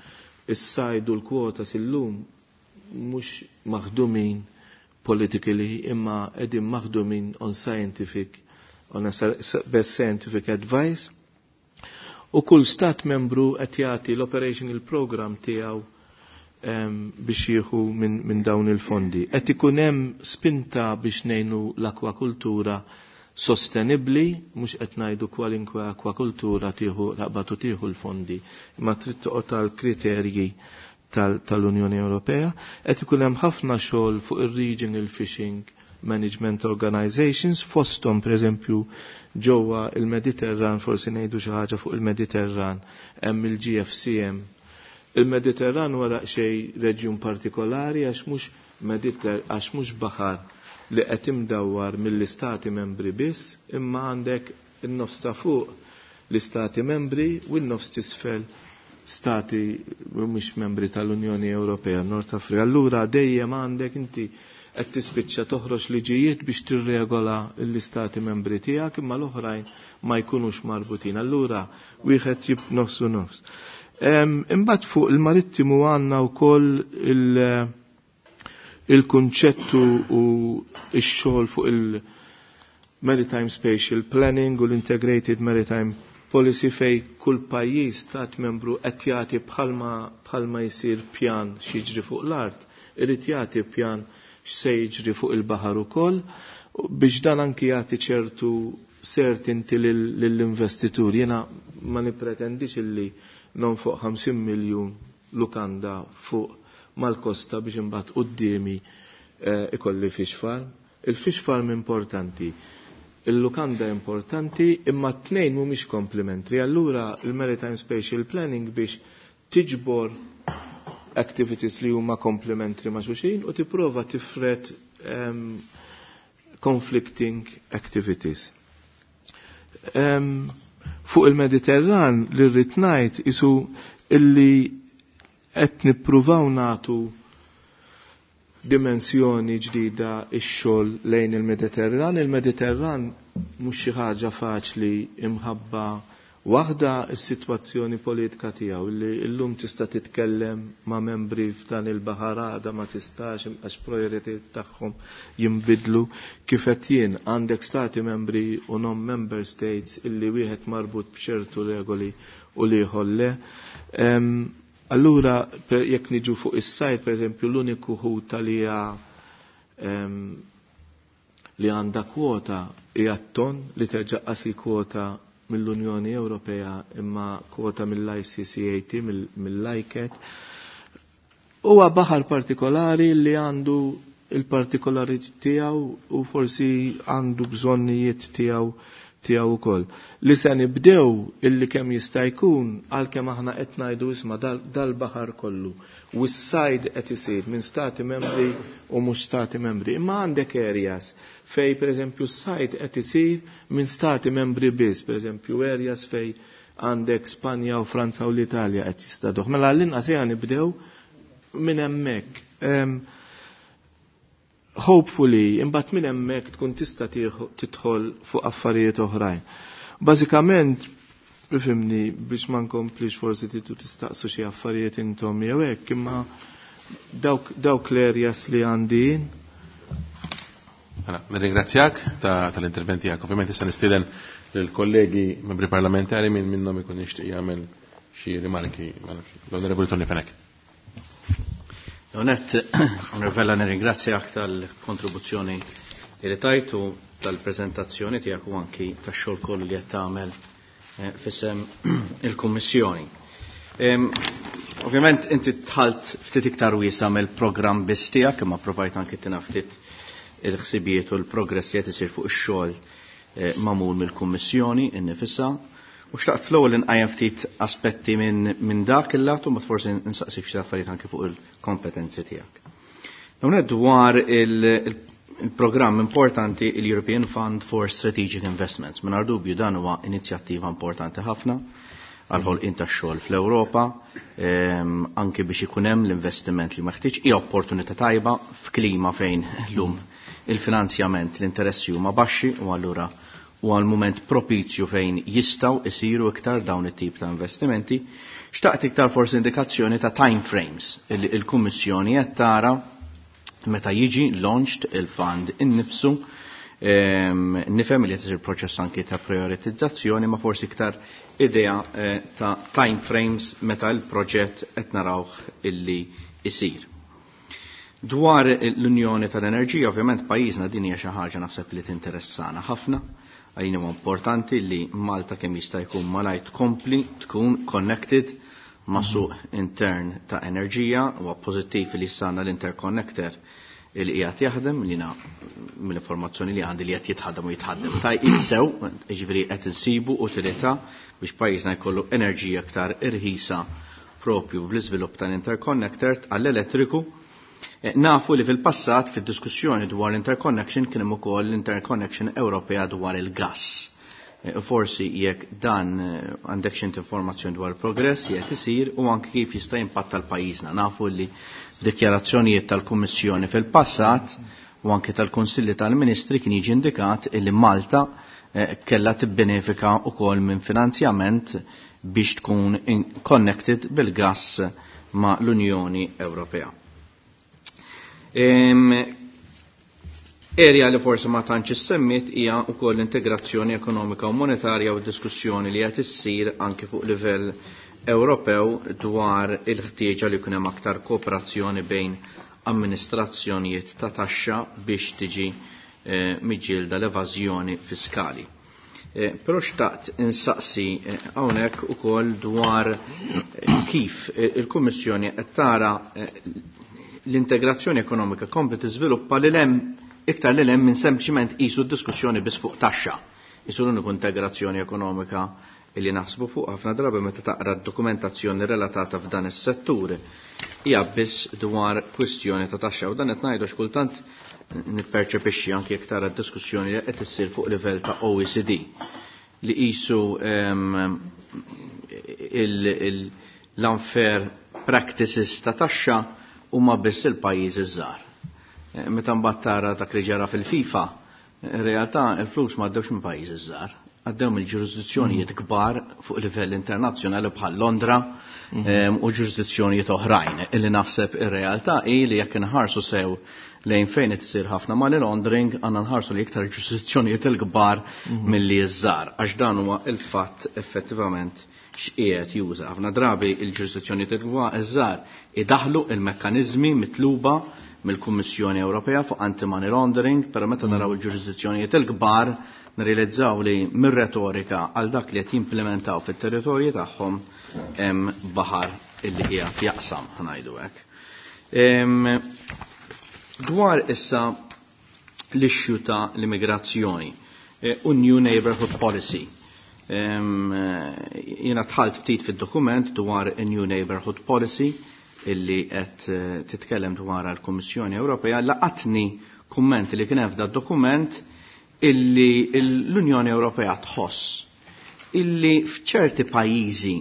is-sajd u l-kwota sillum mhux maħdumin politically imma qegħdin maħdumin on scientific on a best scientific advice, u kull stat membru qed jagħti l-operational program tiegħu biex jieħu minn min dawn il-fondi. Qed ikun hemm spinta biex ngħinu l-akwakultura sostenibli, mhux qed ngħidu kwalinkwe akwakultura tieħu taqbad u tieħu l-fondi, imma trid toqgħod tal-kriterji tal-Unjoni Ewropea. Qed ikun hemm ħafna xogħol fuq ir-Regional Fishing Management Organizations, fosthom pereżempju ġewwa il-Mediterran, forsi ngħidu xi ħaġa fuq il-Mediterran, hemm il-G F C M. Il-Mediterran huwa daqsxejn reġjun partikolari għax mhux Mediter għax mhux baħar li qed imdawwar mill-istati membri biss, imma għandek in-nofs ta' fuq l-istati membri u n-nofs t'isfel stati mhux membri tal-Unjoni Ewropea, Nord Afrika. Allura dejjem għandek inti qed tispiċċa toħroġ liġijiet biex tirregola l-istati membri tiegħek, imma l-oħrajn ma jkunux marbutin. Allura wieħed jib nofsu nofs. Imbagħad fuq il-marittimu għandna wkoll il- il-kunċettu u x-xogħol fuq il-Maritime Spatial Planning u l-Integrated Maritime Policy, fej kull pajjiż stat membru qed jagħti bħalma bħalma jsir pjan x'jiġri fuq l-art, irid jagħti pjan x'se jiġri fuq il-baħar ukoll biex dan anki jagħti ċertu certainty lill-investitur. Jiena ma nippretendix illi non fuq ħamsin miljun lukanda fuq mal-kosta biex imbagħad quddiemi eh, ikolli fish farm. Il-fish farm importanti, il-lukanda importanti, imma t-tnejn mhumiex komplementri. Allura il-Maritime Spatial Planning biex tiġbor activities li huma komplementri ma' xulxin u tipprova tifret um, conflicting activities. Um, fuq il-Mediterran li rrid ngħid isu illi qed nippruvaw nagħtu dimensjoni ġdida ix-xogħol lejn il-Mediterran. Il-Mediterran mhux xi ħaġa faċli imħabba waħda, is-sitwazzjoni politika tiegħu, li llum tista' titkellem ma' membri f'dan il-baħar, għada ma tistax għax prioritajiet tagħhom jinbidlu. Kif qed jien, għandek stati membri u non member states illi wieħed marbut b'ċertu regoli u l-ieħor le. Allura jekk niġu fuq is-sajd, pereżempju, l-uniku ħuta li hija li għandha kwota hija t-ton, li terġa' qasi kwota mill-Unjoni Ewropea imma kwota mill-I C C A T, mill-I C A T. Huwa baħar partikolari li għandu il-partikolarità tiegħu u forsi għandu bżonnijiet tiegħu tiegħu ukoll. Li se nibdew illi kemm jista' jkun, għalkemm aħna qed ngħidu isma' dal-baħar kollu u s-sajd qed isir minn stati membri u mhux stati membri. Imma għandek areas fej pereżempju s-sajd qed isir minn stati membri biss, pereżempju areas fej Għandek Spanja u Franza u l-Italja qed jistaduh. Mela l-inqas ejja nibdew minn hemmhekk. Hopefully, imbagħad minn hemmhekk tkun tista' tidħol fuq affarijiet oħrajn. Bażikament, ifhimni, biex ma nkomplix forsi titu tistaqsu xi affarijiet intom jew hekk, imma dawk, dawk l-areas li għandi. Mela, nirringrazzjak tal-intervent tiegħek. Ovvjament issa nistieden lill-kollegi membri parlamentari minn minnhom ikun jixtieq jagħmel xi rimarki. L-Onorevoli Tony Fenech. Onet, Onorevella, nirringrazzjak tal-kontribuzzjoni li tajtu, tal-prezentazzjoni tiegħek u anki tax-xogħol kollu li qed tagħmel f'isem il-Kummissjoni. Ovvjament inti dħalt ftit iktar wiesa mill-programm biss tiegħek, imma provajt anki tina ftit il-ħsibijiet u l-progress li qed isir fuq ix-xogħol magħmul mill-Kummissjoni innifisha. U xtaqt fl-ewwel inqajjem ftit aspetti minn min dak il-lat u forsi nsaqsik xi affarijiet anke fuq il-kompetenzi tiegħek. Hawnhekk dwar il-programm importanti il-European Fund for Strategic Investments. Mingħajr dubju dan huwa inizjattiva importanti ħafna għal-ħolqien tax-xogħol fl-Ewropa, anke biex ikun hemm l-investiment li meħtieġ, hija opportunità tajba f'klima fejn llum il-finanzjament, l-interessi huma baxxi u allura u għal mument propizju fejn jistaw isiru iktar dawn it-tip ta' investimenti. Xtaqt iktar forsi indikazzjoni ta' time frames li il-Kummissjoni qed tara meta jiġi launched il-fund innifsu. Nifhem li qed isir proċess anki ta' prioritizzazzjoni, ma forsi iktar idea ta' time frames meta l-proġett qed narawh illi isir. Dwar l-Unjoni tal-Enerġija, ovvjament pajjiżna din hija xi ħaġa naħseb li tinteressana ħafna. Għalina huwa importanti li Malta kemm jista' jkun malajr tkompli tkun connected ma' suq intern ta' enerġija. Huwa pożittiv li sana l-interconnector li qiegħed jaħdem, li na mill-informazzjoni li għandi li qed jitħaddem u jitħaddem tajjeb sew, jiġifieri qed insibu utilità biex pajjiżna jkollu enerġija aktar irħisa propju bl-iżvilupp tal-interconnector għall-elettriku. Nafu li fil-passat fid-diskussjoni dwar l-interconnection kien hemm ukoll l-interconnection Ewropea dwar il-gass. Forsi jekk dan għandek xi informazzjoni dwar il-progress jekk isir u anke kif jista' jimpatta l-pajjiżna. Nafu li dikjarazzjonijiet tal-Kummissjoni fil-passat u anke tal-Kunsilli tal-Ministri kien jiġi indikat li Malta kellha tibbenefika wkoll minn finanzjament biex tkun connected bil-gass ma' l-Unjoni Ewropea. Area li forsi ma tantx issemmit hija wkoll l-integrazzjoni ekonomika u monetarja u diskussjoni li qed issir anke fuq livell Ewropew dwar il-ħtieġa li jkun hemm aktar kooperazzjoni bejn amministrazzjonijiet ta' taxxa biex tiġi eh, miġġielda l-evażjoni fiskali. Eh, però xtaqt insaqsi hawnhekk ukoll dwar kif il-Kummissjoni qed tara l-integrazzjoni ekonomika kompli tiżviluppa li hemm iktar li hemm minn sempliċement qisu d-diskussjoni biss fuq taxxa. Isu l-uniku integrazzjoni ekonomika illi naħsbu fuq ħafna drabi meta taqra d-dokumentazzjoni relatata f'dan is-settur hija biss dwar kwistjoni ta' taxxa, u dan qed ngħidu x'kultant nipperċepixxi anke jekk tara d-diskussjoni li qed issir fuq livell ta' O E C D li qisu l-unfair practices ta' taxxa huma biss il-pajjiżi żgħar. Meta mbagħad tara dak li ġara fil-FIFA, in realtà il-flus ma għaddewx minn pajjiżi żgħar, għaddew mill-ġurisdizzjonijiet kbar fuq livell internazzjonali bħal Londra u ġurisdizzjonijiet oħrajn. Illi naħseb ir-realtà hi li jekk inħarsu sew lejn fejn qed isir ħafna money laundering, għandna nħarsu li iktar ġurisdizzjonijiet il-kbar milli ż-żgħar, għax dan huwa il-fatt effettivament x'qiegħed juża. Ħafna drabi il-ġurisdizzjonijiet iż-żgħar idaħlu il-mekkaniżmi mitluba mill-Kummissjoni Ewropea fuq anti-money laundering, però meta naraw il-ġurisdizzjonijiet il-kbar nirrealizzaw li mir-retorika għal dak li qed jimplementaw fit-territorji tagħhom hemm baħar illi qiegħed jaqsam, ħnajdu hekk. Dwar issa l-issue ta' l-immigrazzjoni u New Neighborhood Policy. Jiena dħalt ftit fid-dokument dwar New Neighborhood Policy illi qed titkellem dwar l-Kummissjoni Ewropea. Laqatni kumment li kien hemm f'da dokument illi l-Unjoni Ewropea tħoss illi f'ċerti pajjiżi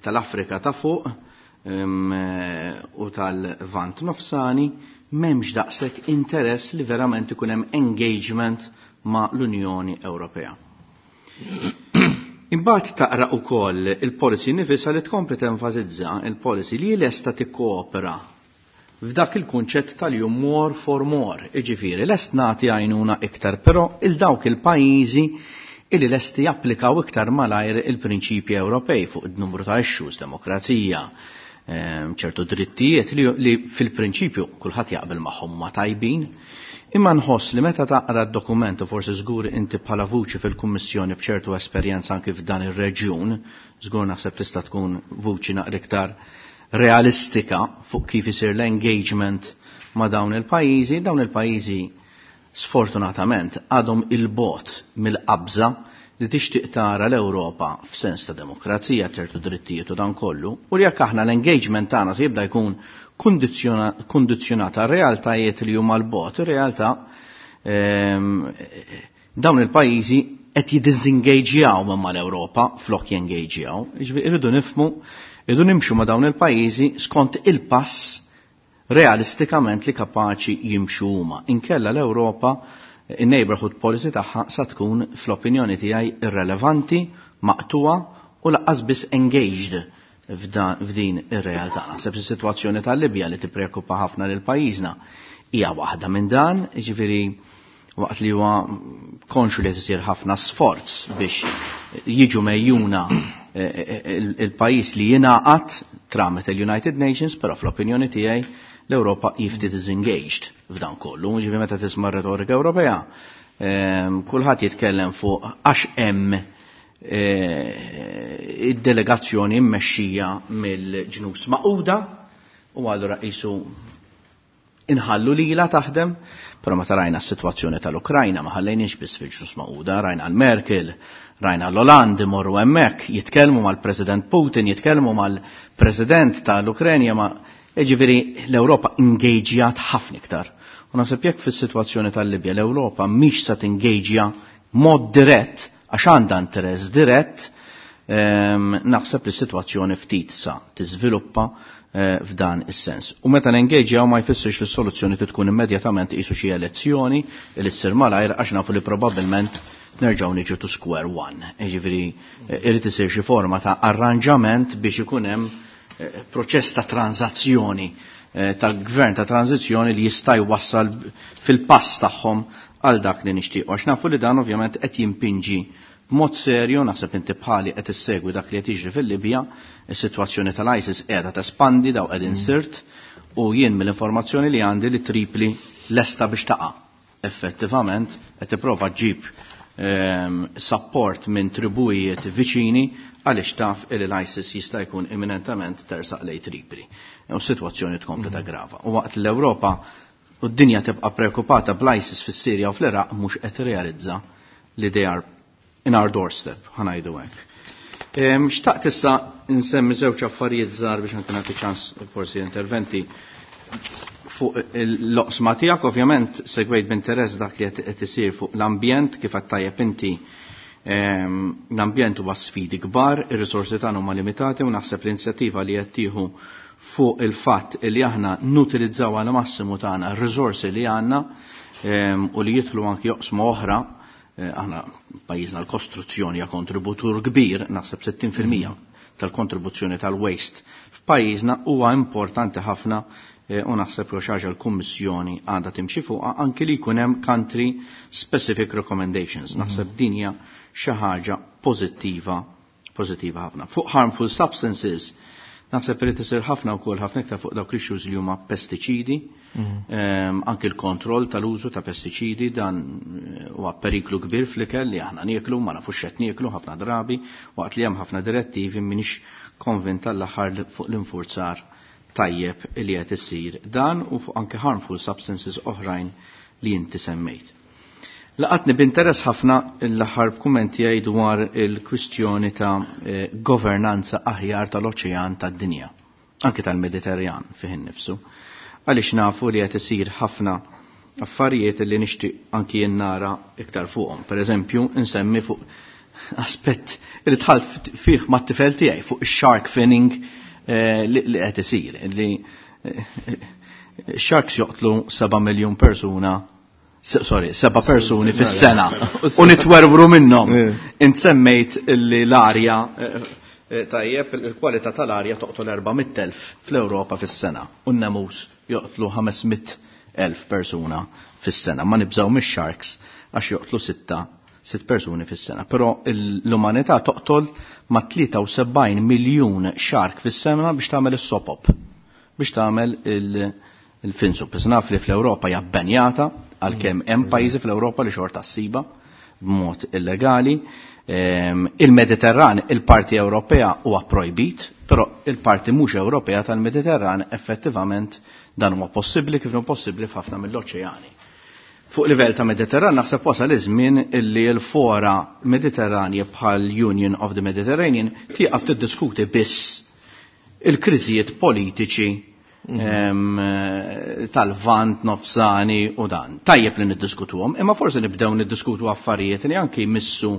tal-Afrika ta' fuq u tal-Lvant Nofsani m'hemmx daqshekk interess li verament ikun hemm engagement ma' l-Unjoni Ewropea. Imbagħad taqra wkoll il-policy nifisha li tkompli tenfasizza il-policy li lesta tikkoopera f'dak il-kunċett tal-jum more for more, iġifieri lest nagħti għajnuna iktar, però il dawk il-pajjiżi illi lesti japplikaw iktar malajr il-prinċipji Ewropej fuq id-numru ta' issues, demokrazija, ċertu drittijiet li, li fil-prinċipju kulħadd jaqbel magħhom ma tajbin. Imma nħoss li meta taqra d-dokument u forsi żgur inti bħala vuċi fil-Kummissjoni b'ċertu esperjenza anki f'dan ir-reġjun, żgur naħseb tista' tkun vuċi naqra iktar realistika fuq kif isir l-engagement ma' dawn il-pajjiżi, dawn il-pajjiżi sfortunatament għadhom il-bot mill-qabża li tixtieq tara l-Ewropa f'sens ta' demokrazija, ċertu drittijiet u dan kollu, u li jekk aħna l-engagement tagħna se jibda jkun kundizzjonata realtajiet li huma l-bot, ir-realtà dawn il-pajjiżi qed jiddiżengaġjaw minn mal-Ewropa flok jengaġjaw. Jiġifieri irridu nifhmu, irridu nimxu ma' dawn il-pajjiżi skont il-pass realistikament li kapaċi jimxu huma. Inkella l-Ewropa in-neighborhood policy tagħha sa tkun fl-opinjoni tiegħi irrelevanti, maqtuwa u laqqas biss engaged f'din ir-realtà. Naħseb is-sitwazzjoni tal-Libja li tippreokkupa ħafna lil pajjiżna hija waħda minn dan, jiġifieri waqt li huwa konxu li isir ħafna sforz biex jiġu mejjuna il-pajjiż li jingħaqad tramite il-United Nations, però fl-opinjoni tiegħi l-Ewropa jifti disengaged f'dan kollu. Ġifieri meta tisma' retorika Ewropea, kulħadd jitkellem fuq għax hemm id-delegazzjoni mmexxija mill-ġnus Magħquda u allura qisu inħallu lila taħdem, però meta rajna s-sitwazzjoni tal-Ukrajna ma ħallejniex biss fil-ġnus Magħquda, rajna l-Merkel, rajna l-Hollande imorru hemmhekk, jitkellmu mal-President Putin, jitkellmu mal-President tal-Ukrenja, ma jiġifieri l-Ewropa ingaġjat ħafna iktar. U naħseb jekk fis-sitwazzjoni tal-Libja l-Ewropa mhix se tingaġja mod dirett għax għandha interess dirett, naħseb li s-sitwazzjoni ftit sa tiżviluppa f'dan is-sens. U meta nengaġjaw ma jfissirx li s-soluzzjoni tkun immedjatament qisu xi elezzjoni li ssir malajr għax nafu li probabbilment nerġgħu niġu to square one. Jiġifieri irid isir xi forma ta' arranġament biex ikun hemm proċess ta' tranzazzjoni ta' gvern ta' tranzizzjoni li jista' jwassal fil-pass tagħhom għal dak li nixtiequ. Għax nafu li dan ovvjament qed jimpinġi b'mod serju, naħseb inti bħali qed issegwi dak li qed jiġri fil-Libja, is-sitwazzjoni tal-ISIS qiegħda tespandi daw qegħdin sirt u jien mill-informazzjoni li għandi li Tripli lesta biex taqa'. Effettivament qed tipprova ġġib support minn tribujiet viċini għaliex taf li l-ISIS jista' jkun imminentament tersaq lej Tripli. U s-sitwazzjoni tkompli grava. U waqt l-Ewropa u d-dinja tibqa' preokupata bl-ISIS fis-Sirja u fl-Iraq mhux qed realizza li they are in our doorstep, ħa ngħidu hekk. Xtaqt issa nsemmi żewġ affarijiet żgħar biex anke nagħti ċans forsi interventi fuq l-oqsma tiegħek, ovvjament segwejt b'interess dak li qed isir fuq l-ambjent kif qed tajjeb inti. L-ambjent huwa sfidi kbar, ir-risorsi tagħna huma limitati u naħseb l-inizjattiva li qed tieħu fuq il-fatt li aħna nutilizzaw għal massimu tagħna r-risorsi li għandna u li jidħlu anki joqsma oħra. Aħna pajjiżna l-kostruzzjoni hija kontributur kbir, naħseb sittin fil-mija tal-kontribuzzjoni tal-waste f'pajjiżna huwa importanti ħafna u naħseb li xi ħaġa l-Kummissjoni għandha timxi fuqha anki li jkun hemm country specific recommendations. Naħseb din hija xi ħaġa pożittiva, pożittiva ħafna. Fuq harmful substances, naħseb irid isir ħafna wkoll ħafna iktar fuq dawk l-issues li huma pestiċidi, anki l-kontroll tal-użu ta' pestiċidi, dan huwa periklu kbir fl-ikel li aħna nieklu, ma nafux x'qed nieklu ħafna drabi, waqt li hemm ħafna direttivi m'iniex konvinta l-aħħar fuq l-infurzar tajjeb li qed isir dan u fuq anke harmful substances oħrajn li inti semmejt. Laqatni b'interess ħafna l-aħħar kumment tiegħi dwar il-kwistjoni ta' governanza aħjar tal-oċean tad-dinja, anke tal-Mediterran fih innifsu. Għaliex nafu li qed isir ħafna affarijiet li nixtieq anki jien nara iktar fuqhom. Per eżempju, insemmi fuq aspett li dħalt fih mat-tifel tiegħi fuq ix-shark finning li qed isir, li sharks joqtlu seba' miljun persuna, sorry, seba' persuni fis-sena u nitwerwru minnhom. Int semmejt li l-arja tajjeb, il-kwalità tal-arja toqtol erba' mitt elf fl-Ewropa fis-sena u n-nemus joqtlu ħames mitt elf persuna fis-sena. Ma nibżgħu mix-sharks għax joqtlu sitta sitt persuni fis-sena. Però l-umanità toqtol ma' tlieta u sebgħin miljun shark fis-sena biex tagħmel is-sopop, biex tagħmel il-finsup. Biss naf li fl-Ewropa hija bbenjata għalkemm hemm pajjiżi fl-Ewropa li xorta ssiba b'mod illegali. Il-Mediterran, il-parti Ewropea huwa projbit, però il-parti mhux Ewropea tal-Mediterran effettivament dan huwa possibbli kif possibbli f'ħafna mill-oċeani. Fuq livell ta' Mediterran naħseb wasal iż-żmien illi l-fora Mediterranja bħal Union of the Mediterranean tieqaf tiddiskuti biss il-kriżijiet politiċi tal-Vant, Nofsani u dan. Tajjeb li niddiskutuhom, imma forsi nibdew niddiskutu affarijiet li anki jmissu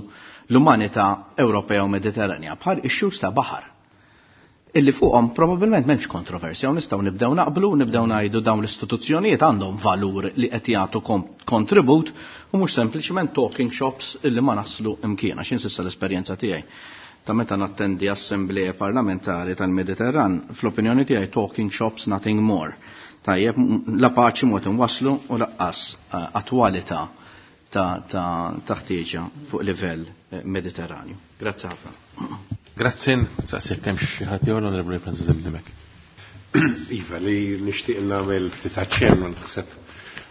l-umanità Ewropea u Mediterranja bħal issues ta' baħar illi fuqhom probabbilment m'hemmx kontroversja u nistgħu nibdew naqblu, nibdew ngħidu dawn l-istituzzjonijiet għandhom valur li qed jagħtu kontribut u mhux sempliċement talking shops illi ma naslu imkien, għax insissa l-esperjenza tiegħi ta' meta nattendi assembleje parlamentari tal-Mediterran, fl-opinjoni tiegħi talking shops nothing more. Tajjeb, la paċi mod inwasslu u laqqas attwalità ta' ta' ħtieġa fuq livell Mediterranju. Grazzi ħafna. Grazzi, saqsik kemm xi ħadd jew l-Onorevoli Francis Dimech. Iva, li nixtieq nagħmel ftit aċċenn u naħseb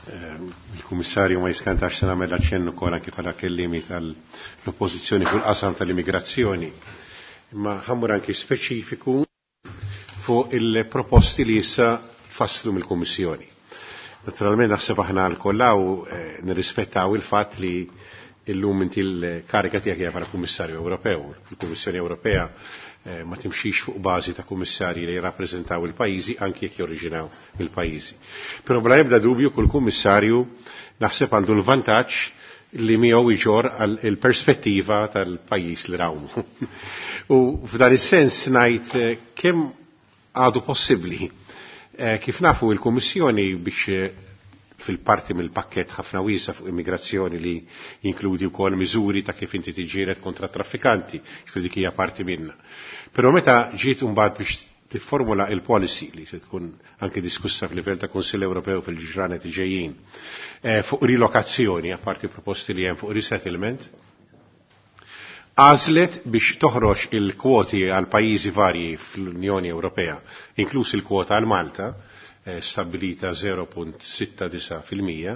il-Kummissarju ma jiskantax se nagħmel aċċenn ukoll anke bħala kellimi tal-oppożizzjoni fuq il-qasam tal-immigrazzjoni. Imma ħammur anki speċifiku fuq il-proposti li issa tfasslu mill-Kummissjoni. Naturalment naħseb aħna l-kollaw nirrispettaw il-fatt li illum inti l-karika tiegħek hija bħala Kummissarju Ewropew. Il-Kummissjoni Ewropea ma timxix fuq bażi ta' kummissarji li jirrappreżentaw il-pajjiżi anki jekk jorriġinaw mill-pajjiżi. Però bla ebda dubju kull kummissarju naħseb għandu l-vantaġġ li miegħu iġor il-perspettiva tal-pajjiż li rawmu. U f'dan is-sens ngħid kemm għadu possibbli. Kif nafu il-Kummissjoni biex fil-parti mill-pakket ħafna wiesa fuq immigrazzjoni li jinkludi wkoll miżuri ta' kif inti tiġġieled kontra traffikanti, ġifieri dik hija parti minna. Però meta ġiet imbagħad biex tifformula il-policy li se tkun anke diskussa f'livell ta' Kunsill Ewropew fil-ġranet ġejjin fuq rilokazzjoni, apparti proposti li hemm fuq resettlement, għażlet biex toħroġ il-kwoti għal pajjiżi varji fl-Unjoni Ewropea, inkluż il-kwota għal Malta, stabilita zero punt sitta disa fil-mija,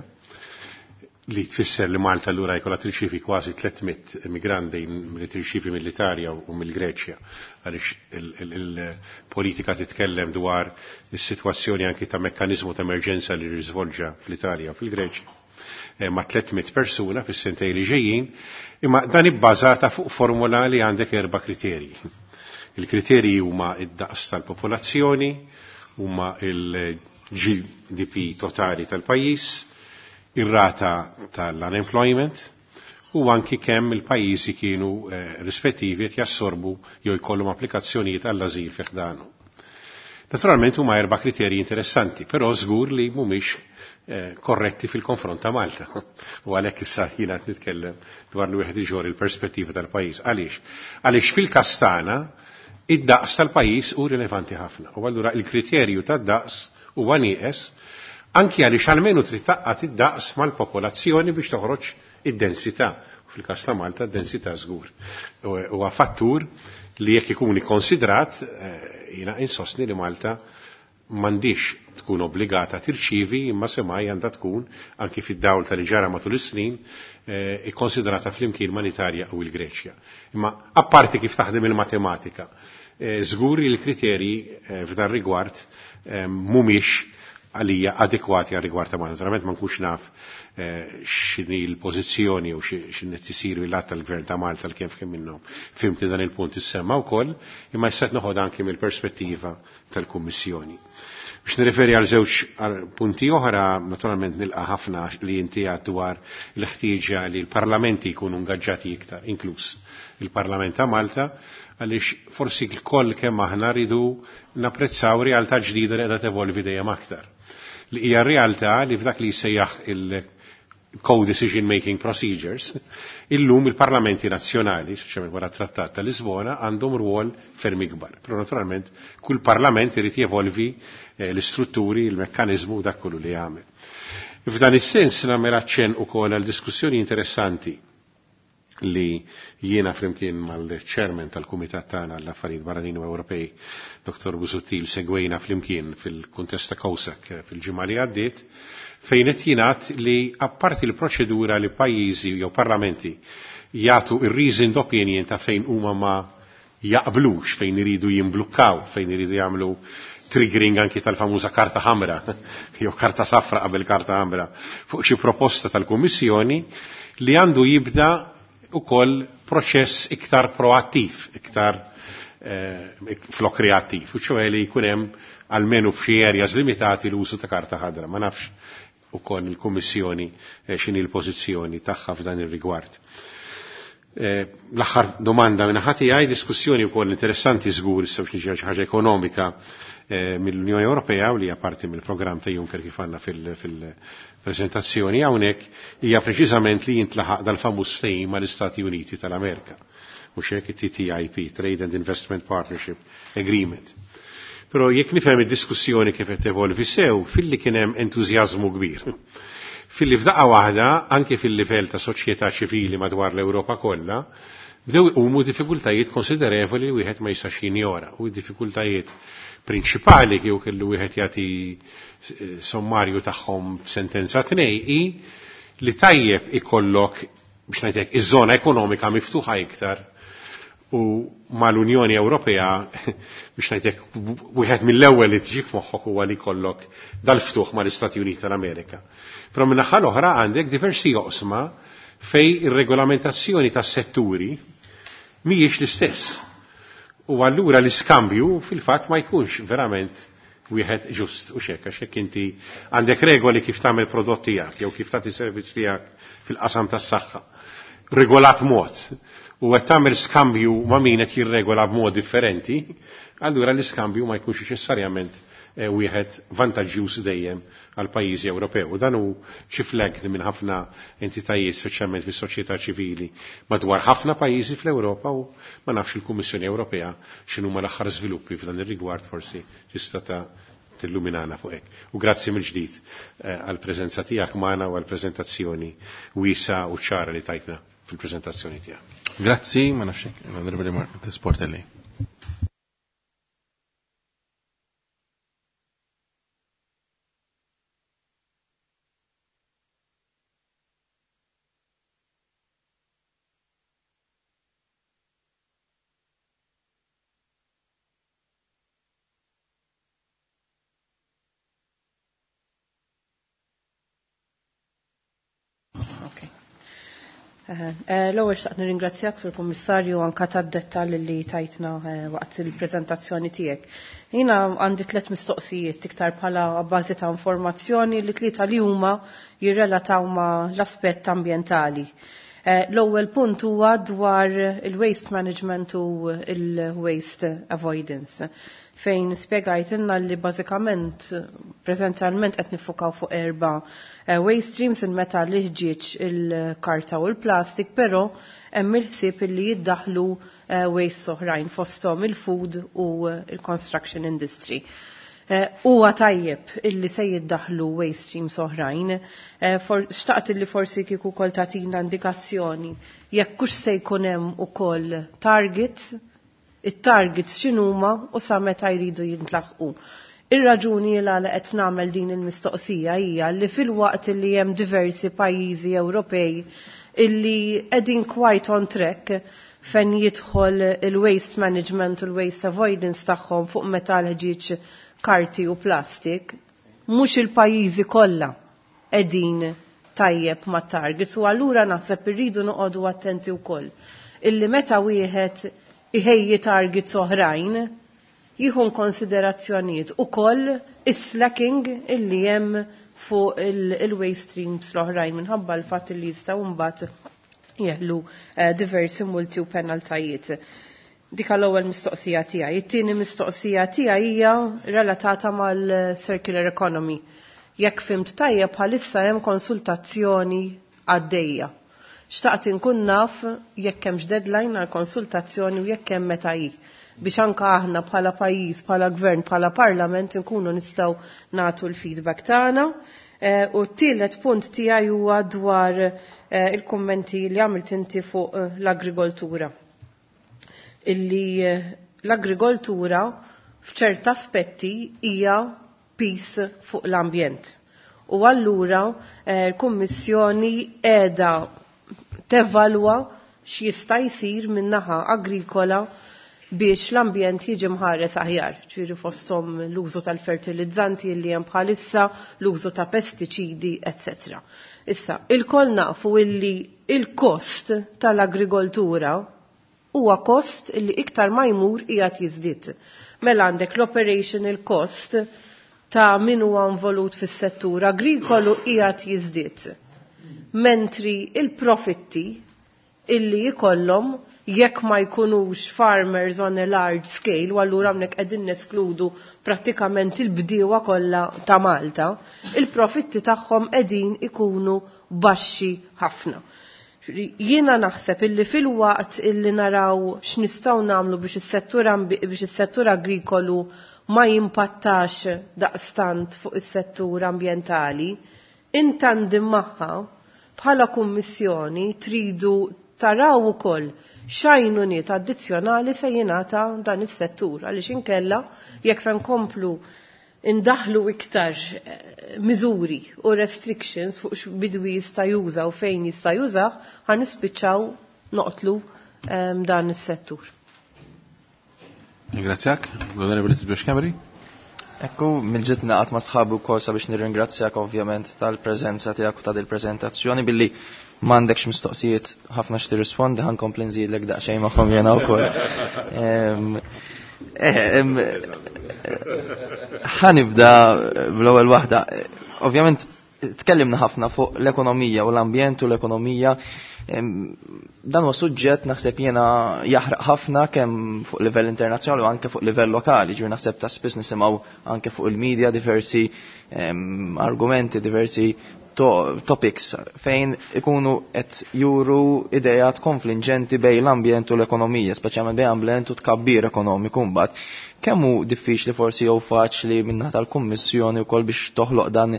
li tfisser li Malta allura jkollha tirċievi kważi tliet mitt immigranti li tirċievi mill-Italja u mill-Greċja, għaliex il-politika titkellem dwar is-sitwazzjoni anki ta' mekkaniżmu ta' emerġenza li riżvolġa fl-Italja u fil-Greċja, ma' tliet mitt persuna fis-sentej li ġejjin, imma dan ibbażata fuq formula li għandek erba' kriterji. Il-kriterji huma id-daqs tal-popolazzjoni, huma il-G D P totali tal-pajjiż, ir-rata tal-unemployment u anki kemm il-pajjiżi kienu rispettivi qed jassorbu jew jkollhom applikazzjonijiet għall-ażil fi ħdanu. Naturalment huma erba' kriterji interessanti, però żgur li mhumiex korretti fil-konfront ta' Malta. U għalhekk issa jiena qed nitkellem dwar li wieħed iġor il-perspettiva tal-pajjiż. Għaliex? Għaliex fil-każ tagħna id-daqs tal-pajjiż hu rilevanti ħafna. U allura il-kriterju tad-daqs huwa nieqes anki għaliex almenu trid taqqat id-daqs mal-popolazzjoni biex toħroġ id-densità. Fil-każ ta' Malta d-densità żgur. Huwa fattur li jekk ikun ikkonsidrat, jiena insostni li Malta m'għandix tkun obbligata tirċievi, imma semmai għandha tkun anki fid-dawl tal ġara matul is-snin ikkonsidrata flimkien mal-Italja u l-Greċja. Imma apparti kif taħdem il-matematika, żgur li l-kriterji f'dan rigward mhumiex għalija adekwati għal rigward ta' Malta. Naturalment ma nkunx naf x'inhi l-pożizzjoni u x'inhi tisir mill-att tal-Gvern ta' Malta l kemm kemm minnhom. Fimti dan il-punt issemma wkoll, imma issa qed noħod anki mill-perspettiva tal-Kummissjoni. Biex nirreferi għal żewġ punti oħra, naturalment nilqa' ħafna li inti għad dwar l-ħtieġa li l-parlamenti jkunu ingaġġati iktar, inkluż il-Parlament ta' Malta, għaliex forsi l-koll kemm aħna rridu napprezzaw realtà ġdida li qiegħda tevolvi dejjem aktar. Li hija realtà li f'dak li jsejjaħ il- co-decision making procedures, illum il-parlamenti nazzjonali, speċjalment wara trattat ta' Lisbona, għandhom rwol ferm ikbar. Però naturalment kull parlament irid jevolvi eh, l-istrutturi, il-mekkaniżmu dak kollu li jagħmel. F'dan is-sens nagħmel aċċenn ukoll għal diskussjoni interessanti li jiena flimkien mal-chairman tal-Kumitat tagħna għall-Affarijiet Barranin u Ewropej, Dr. Busuttil, segwejna flimkien fil-kuntest ta' COSAC fil-ġimgħa li għaddiet, fejn qed jingħad li apparti l-proċedura li pajjiżi jew parlamenti jagħtu ir-reasoned opinion ta' fejn huma ma jaqblux, fejn iridu jimblukkaw, fejn iridu jagħmlu triggering anki tal-famuża karta ħamra jew karta safra qabel karta ħamra fuq xi proposta tal-Kummissjoni li għandu jibda ukoll proċess iktar proattiv, iktar eh, flok reattiv, u ċoħe li jkun hemm almenu f'xi areas limitati l-użu ta' karta ħadra. Ma nafx ukoll il-Kummissjoni eh, x'inhi l-pożizzjoni tagħha f'dan ir-rigward. Eh, l-aħħar domanda minn ħati għaj diskussjoni wkoll interessanti żgur issa biex niġi xi ħaġa ekonomika eh, mill-Unjoni Ewropea u li hija parti mill-programm ta' Juncker kif għandna fil-preżentazzjoni hawnhekk hija preċiżament li jintlaħaq dal-famuż ftehim mal-Istati Uniti tal-Amerika. Mhux hekk it-TTIP, Trade and Investment Partnership Agreement. Però jekk nifhem id-diskussjoni kif qed tevolvi sew, filli kien hemm entużjażmu kbir. Filli f'daqqa waħda, anke fil-livell ta' soċjetà ċivili madwar l-Ewropa kollha, bdew iqumu diffikultajiet konsiderevoli li wieħed ma jistax jinjora u diffikultajiet prinċipali kieku kellu wieħed jagħti sommarju tagħhom f'sentenza tnej hi li tajjeb ikollok biex ngħidlek iż-żona ekonomika miftuħa iktar u mal-Unjoni Ewropea biex ngħidlek wieħed mill-ewwel li tiġi f'moħħok huwa li jkollok dal-ftuħ mal-Istati Uniti tal-Amerika. Però min-naħa l-oħra għandek diversi oqsma fej ir-regolamentazzjoni tas-setturi mhijiex l-istess. U allura l-iskambju fil-fatt ma jkunx verament wieħed ġust u xek, għax hekk inti għandek regoli kif tagħmel prodott tiegħek jew kif tagħti servizz tiegħek fil-qasam tas-saħħa. Regolat mod u qed tagħmel skambju ma' min qed jirregola b'mod differenti, allura l-iskambju ma jkunx neċessarjament wieħed vantaġġjuż dejjem għal pajjiżi Ewropew. U dan hu xi flagged minn ħafna entitajiet speċjalment fis-soċjetà ċivili madwar ħafna pajjiżi fl-Ewropa u ma nafx il-Kummissjoni Ewropea x'inhuma l-aħħar żviluppi f'dan ir-rigward forsi tista' ta' tilluminana fuq hekk. U grazzi mill-ġdid għall-preżenza tiegħek magħna u għall-preżentazzjoni wiesa u ċara li tajtna fil-preżentazzjoni tiegħek. Grazzi, ma nafx hekk, l-Onorevoli Mark Sportelli. L-ewwel xtaqt nirringrazzjak sur Kummissarju anka tad-dettall li tajtna waqt il-preżentazzjoni tiegħek. Jiena għandi tliet mistoqsijiet iktar bħala bażi ta' informazzjoni li tlieta li huma jirrelataw ma' l-aspett ambjentali. L-ewwel punt huwa dwar il-waste management u il-waste avoidance fejn spjegajtilna li bażikament preżentalment qed nifukaw fuq erba' waste streams il-metal, il-ħġieġ, il-karta u l-plastik, però hemm il-ħsieb li jiddaħlu waste oħrajn fosthom il-food u il-construction industry. Huwa tajjeb illi se jiddaħlu waste streams oħrajn. Xtaqt illi forsi kieku wkoll tagħtina indikazzjoni jekk hux se jkun hemm ukoll targets, it-targets x'inhuma u sa meta jridu jintlaħqu. Ir-raġuni l għala qed nagħmel din il-mistoqsija hija li fil-waqt li hemm diversi pajjiżi Ewropej illi qegħdin quite on track fejn jidħol il-waste management u l-waste avoidance tagħhom fuq metal ħġieġ karti u plastik, mhux il-pajjiżi kollha qegħdin tajjeb ma' targets u allura naħseb irridu noqogħdu attenti wkoll. Illi meta wieħed iħejji targets oħrajn, jieħu konsiderazzjonijiet ukoll is-slacking illi hemm fuq il-waste streams l-oħrajn minħabba l-fatt li jistgħu mbagħad jeħlu eh, diversi multi u penaltajiet. Dik l-ewwel mistoqsija tiegħi. It-tieni mistoqsija tiegħi hija relatata mal-circular economy. Jekk fimt tajjeb bħalissa hemm konsultazzjoni għaddejja. Xtaqt inkun naf jekk hemmx deadline għal konsultazzjoni u jekk hemm meta hi biex anka aħna bħala pajjiż, bħala gvern, bħala parlament nkunu nistgħu nagħtu l-feedback tagħna. Eh, u t-tielet punt tiegħi huwa dwar eh, il-kummenti li għamilt inti fuq eh, l-agrikoltura. Illi l-agrikoltura f'ċert aspetti hija pis fuq l-ambjent. U allura l-Kummissjoni qiegħda tevalwa x'jista' jsir min-naħa agrikola biex l-ambjent jiġi mħares aħjar, ġifieri fosthom l-użu tal-fertilizzanti li hemm bħalissa, l-użu ta' pestiċidi, eċetera. Issa, il-koll nafu illi il-kost tal-agrikoltura huwa kost illi iktar ma jmur qiegħed jiżdied. Mela għandek l-operational cost ta' min huwa involut fis-settur agrikolu qiegħed jiżdied. Mentri il-profitti illi jkollhom jekk ma jkunux farmers on a large scale, u allura hawnhekk qegħdin neskludu prattikament il-bdiewa kollha ta' Malta, il-profitti tagħhom qegħdin ikunu baxxi ħafna. Jiena naħseb illi fil-waqt illi naraw x'nistgħu nagħmlu biex is-settur biex is-settur agrikolu ma jimpattax daqstant fuq is-settur ambjentali, intandim magħha bħala kummissjoni tridu taraw ukoll x'għajnuniet addizzjonali se jingħata dan is-settur għaliex inkella jekk se nkomplu indaħlu iktar eh, miżuri u restrictions fuq x'bidwi jista' juża u fejn jista' jużah, ħa nispiċċaw noqtlu ehm, dan is-settur. Ringrazzjak, l-Onorevoli Silvio Schembri. Ekku, mill-ġid naqat ma' sħabu wkoll sabiex nirringrazzjak ovvjament tal-preżenza tiegħek u ta' dil-preżentazzjoni billi m'għandekx mistoqsijiet ħafna x'tirrispondi ħa nkompli nżidlek daqsxejn magħhom jiena wkoll. Em, eh, em, Ħa nibda bl-ewwel waħda. Ovvjament tkellimna ħafna fuq l-ekonomija u l-ambjent u l-ekonomija. Em, Dan huwa suġġett naħseb jiena jaħraq ħafna kemm fuq livell internazzjonali u anke fuq livell lokali. Ġifieri naħseb ta' spiss nisimgħu anke fuq il-medja diversi em, argumenti, diversi to topics fejn ikunu qed juru idejat konfliġġenti bejn l-ambjent u l-ekonomija, speċjalment bejn ambjent u tkabbir ekonomiku mbagħad. Kemm hu diffiċli forsi jew faċli min-naħa tal-Kummissjoni wkoll biex toħloq dan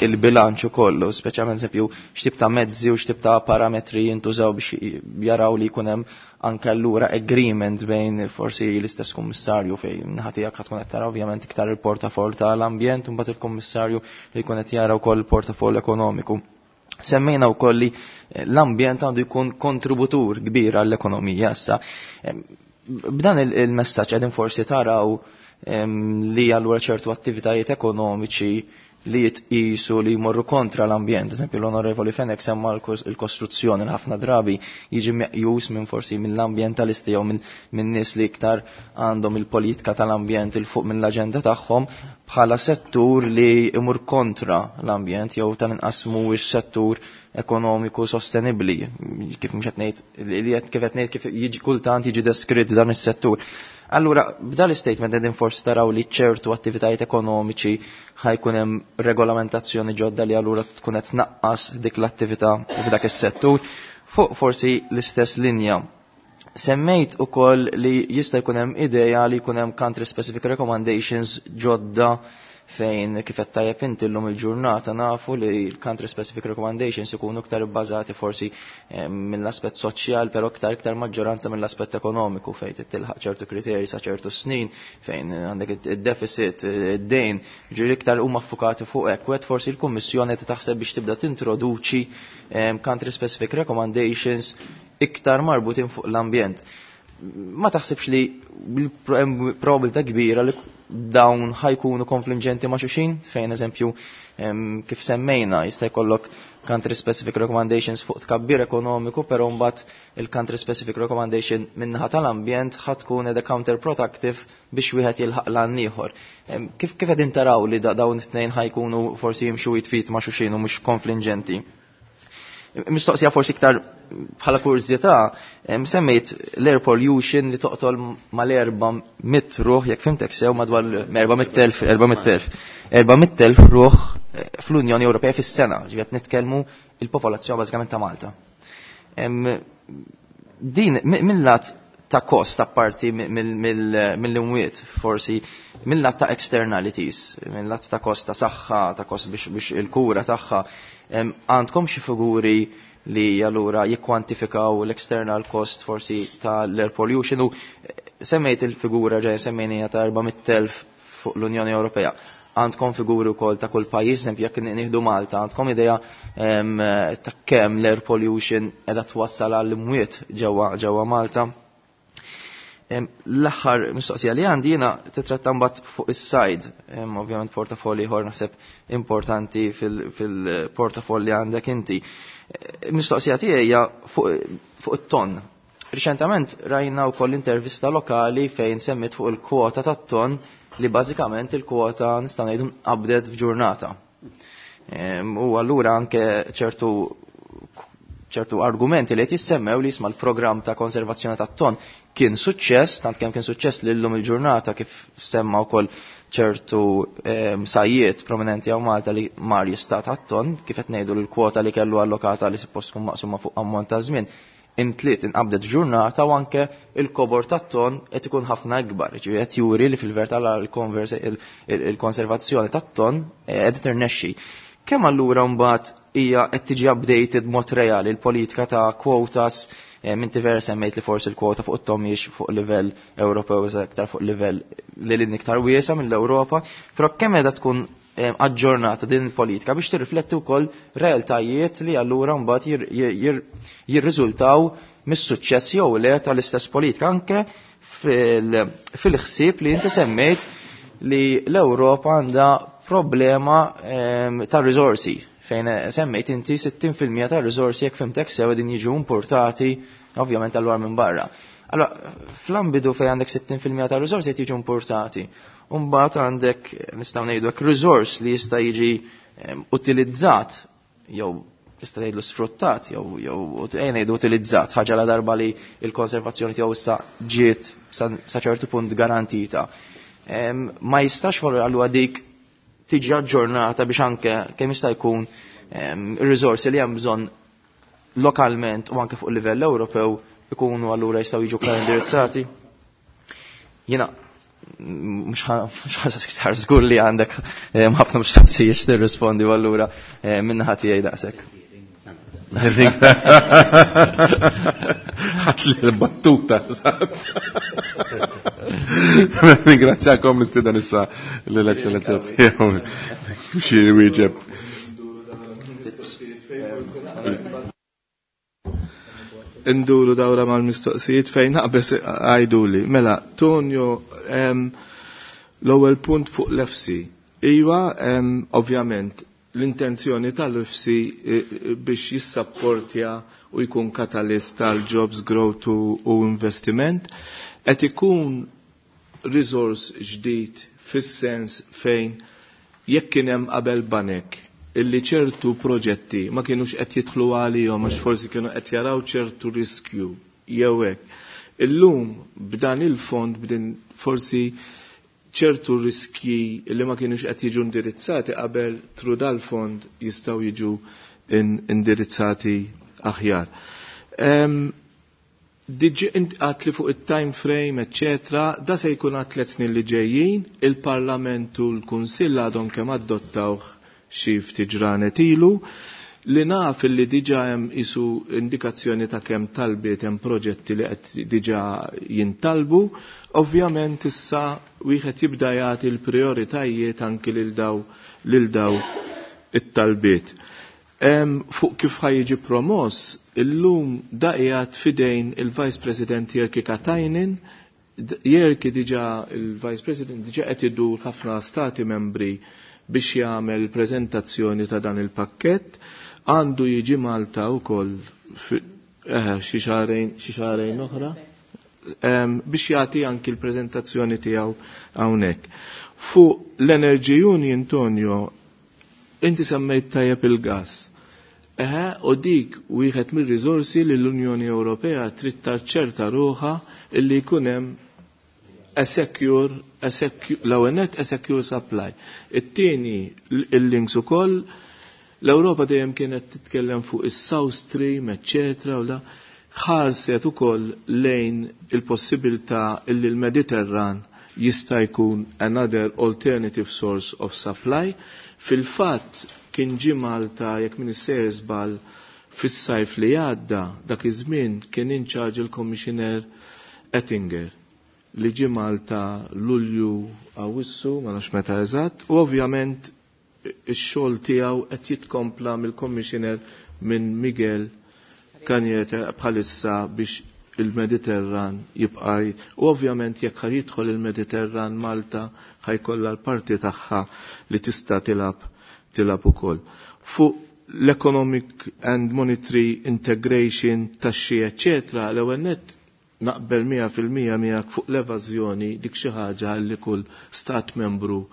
il-bilanċ ukoll, speċjalment eżempju x'tip ta' mezzi u x'tip ta' parametri jintużaw biex jaraw li jkun hemm anke allura agreement bejn forsi l-istess kummissarju fejn naħa tiegħek tkun qed tara ovvjament iktar il-portafol tal-ambjent u mbagħad il-kummissarju li jkun qed jara wkoll il-portafol ekonomiku. Semmejna wkoll li l-ambjent għandu jkun kontributur kbir għall-ekonomija issa. B'dan il-messaġġ qegħdin forsi taraw li allura ċertu attivitajiet ekonomiċi li jitqisu li jmorru kontra l-ambjent. Eżempju, l-Onorevoli Fenech semma l-kostruzzjoni l-ħafna drabi jiġi meqjus minn forsi mill-ambjentalisti jew minn nies li iktar għandhom il-politika tal-ambjent il fuq mill-aġenda tagħhom bħala settur li imur kontra l-ambjent jew tal-inqas mhuwiex settur ekonomiku sostenibli. Kif mhux qed ngħid li kif qed ngħid kif jiġi kultant jiġi deskritt dan is-settur. Allura, b'dal statement qegħdin forsi taraw li ċertu attivitajiet ekonomiċi ħa jkun hemm regolamentazzjoni ġodda li allura tkun qed tnaqqas dik l-attività f'dak is-settur. Fuq forsi l-istess linja. Semmejt ukoll li jista' jkun hemm idea li jkun hemm country specific recommendations ġodda fejn kif qed tajjeb inti llum il-ġurnata nafu li l-country specific recommendations ikunu iktar bbażati forsi eh, mill-aspett soċjal, però iktar iktar maġġoranza mill-aspett ekonomiku fejn tilħaq ċertu kriterji sa ċertu snin fejn għandek id-deficit, id-dejn, ġifieri iktar huma ffukati fuq hekk. U qed forsi l-Kummissjoni qed taħseb biex tibda tintroduċi eh, country specific recommendations iktar marbutin fuq l-ambjent. Ma taħsibx li probabilità kbira li dawn ħajkunu konfliġenti ma' xulxin, fejn eżempju kif semmejna jista' jkollok country specific recommendations fuq tkabbir ekonomiku, però mbagħad il-country specific recommendation min-naħa tal-ambjent ħa tkun qiegħda counterproductive biex wieħed jilħaq l ieħor. Kif kif qegħdin taraw li dawn it-tnejn ħajkunu forsi jimxu jitfit ma' xulxin u mhux konfliġenti? Mistoqsija forsi iktar bħala kurżità, semmejt l-air pollution li toqtol mal-erba' mitt ruħ, jekk fimtek sew, madwar erba' mitt elf, erba' mitt elf, erba' mitt elf ruħ fl-Unjoni Ewropea fis-sena, ġifieri qed nitkellmu il-popolazzjoni bażikament ta' Malta. Din mill-lat ta' kost apparti mill-imwiet, forsi mill-lat ta' externalities, mill-lat ta' kost ta' saħħa, ta' kost biex il-kura tagħha, għandkom xi figuri li allura jikkwantifikaw l-external cost forsi ta' l-air pollution u semmejt il-figura ġej semmejnija ta' erba' mitt elf fuq l-Unjoni Ewropea. Għandkom figuri wkoll ta' kull pajjiż, eżempju jekk nieħdu Malta, għandkom idea ta' kemm l-air pollution qiegħda twassal għall imwiet ġewwa ġewwa Malta? L-aħħar mistoqsija li għandi jiena titratta mbagħad fuq is-sajd, ovvjament portafolli ieħor naħseb importanti fil-portafolli għandek inti. Mistoqsija tiegħi hija fuq it-ton. Riċentament rajna wkoll intervista lokali fejn semmit fuq il-kwota tat-ton li bażikament il-kwota nistgħu ngħidu nqabdet f'ġurnata. U allura anke ċertu ċertu argumenti li qed jissemmew li jisma' l-programm ta' konservazzjoni tat-ton kien suċċess, tant kemm kien suċċess li llum il-ġurnata kif semma wkoll ċertu sajjiet prominenti hawn Malta li mar jistat għat-ton, kif qed ngħidu l-kwota li kellu allokata li suppost tkun maqsuma fuq ammont ta' żmien imtliet inqabdet ġurnata u anke il-kobor tat-ton qed ikun ħafna ikbar. Ġifieri qed juri li fil-verità il-konservazzjoni tat-ton qed tirnexxi. Kemm allura mbagħad hija qed tiġi updated mod reali l-politika ta' quotas? Minti vera semmejt li forsi l-kwota fuq it-ton mhijiex fuq livell Ewropew iżda iktar fuq livell li lil iktar wiesa mill-Ewropa, però kemm qiegħda tkun aġġornata din il-politika biex tirrifletti wkoll realtajiet li allura mbagħad jirriżultaw mis-suċċess jew le tal-istess politika anke fil-ħsieb li inti semmejt li l-Ewropa għandha problema ta' riżorsi fejn semmejt inti sittin fil-mija ta' riżorsi jekk fimtek sew din jiġu importati ovvjament allura minn barra. Allora, fl-ambidu fejn għandek sittin fil-mija ta' riżorsi qed jiġu importati. U mbagħad għandek nistgħu ngħidu hekk riżors li jista' jiġi utilizzat jew tista' tgħidlu sfruttat jew jew ejja ngħidu utilizzat ħaġa la darba li l-konservazzjoni tiegħu issa ġiet sa ċertu punt garantita. Ma jistax forsi allura dik tiġi aġġornata biex anke kemm jista' jkun ir-riżorsi li hemm bżonn lokalment u anke fuq livell Ewropew ikunu allura jistgħu jiġu klar indirizzati. Jiena mhux ħasas iktar żgur li għandek ħafna mistoqsijiet tirrispondi u allura min-naħa tiegħi daqshekk. Ħadd li l-battuta. Ringrazzjakom nistieden issa l-Eċċellenza tiegħu xi wieġeb. Induru dawra mal-mistoqsijiet fejn naqbes għajduli. Mela, Tonio, l-ewwel punt fuq l-F C. Iva, ovvjament, l-intenzjoni tal-F C biex jissapportja u jkun katalist tal-jobs growth u investiment, qed ikun resource ġdid fis-sens fejn jekk kien hemm qabel banek illi ċertu proġetti ma kienux qed jidħlu għalihom għax forsi kienu qed jaraw ċertu riskju jew hekk. Illum b'dan il-fond b'din forsi ċertu riskji li ma kienux qed jiġu indirizzati qabel tru dal-fond jistgħu jiġu indirizzati aħjar. Diġi għat li fuq il-time frame, eccetera, da se jkun għat tliet snin li ġejjin, il-Parlament u l-Kunsill għadhom kemm adottawh xi ftit ġranet ilu, li naf li diġa hemm isu indikazzjoni ta' kemm talbiet hemm proġetti li qed diġa jintalbu, ovvjament issa wieħed jibda jagħti l-prijoritajiet anki lil daw lil daw it-talbiet. Fuq kif ħa jiġi promoss, illum da qiegħed fidejn il-Vice President Jyrki Katainen. Jyrki diġà, il-Vice President, diġà qed idur ħafna stati membri biex jagħmel prezentazzjoni ta' dan il-pakkett. Għandu jiġi Malta wkoll xi xahrejn xi xahrejn oħra biex jagħti anki l-preżentazzjoni tiegħu hawnhekk. Fuq l-Energy Union, Antonio, inti semmejt tajjeb il-gas. Eħe, u dik wieħed mir-riżorsi li l-Unjoni Ewropea trid taċċerta ruħha illi jkun hemm a secure, a secure, l-ewwel nett a secure supply. It-tieni, il-links ukoll, l-Ewropa dejjem kienet titkellem fuq is-South Stream, eċċetera, u la ħarset ukoll lejn il-possibilità illi l-Mediterran jista' jkun another alternative source of supply. Fil-fatt kien ġie Malta, jekk min sejjer żball, fis-sajf li għadda. Dak iż-żmien kien in charge il-Commissioner Oettinger, li ġie Malta Lulju, Awissu, ma nafx meta eżatt, u ovvjament ix-xogħol tiegħu qed jitkompla mill-Commissioner, minn Miguel Cañete bħalissa, biex il-Mediterran jibqa'. U ovvjament jekk ħa jidħol il-Mediterran, Malta ħa jkollha l-parti tagħha li tista' tilgħab tilgħab ukoll. Fuq l-economic and monetary integration, taxxi, eccetera, l-ewwel nett naqbel mija fil-mija miegħek fuq l-evażjoni. Dik xi ħaġa li kull stat membru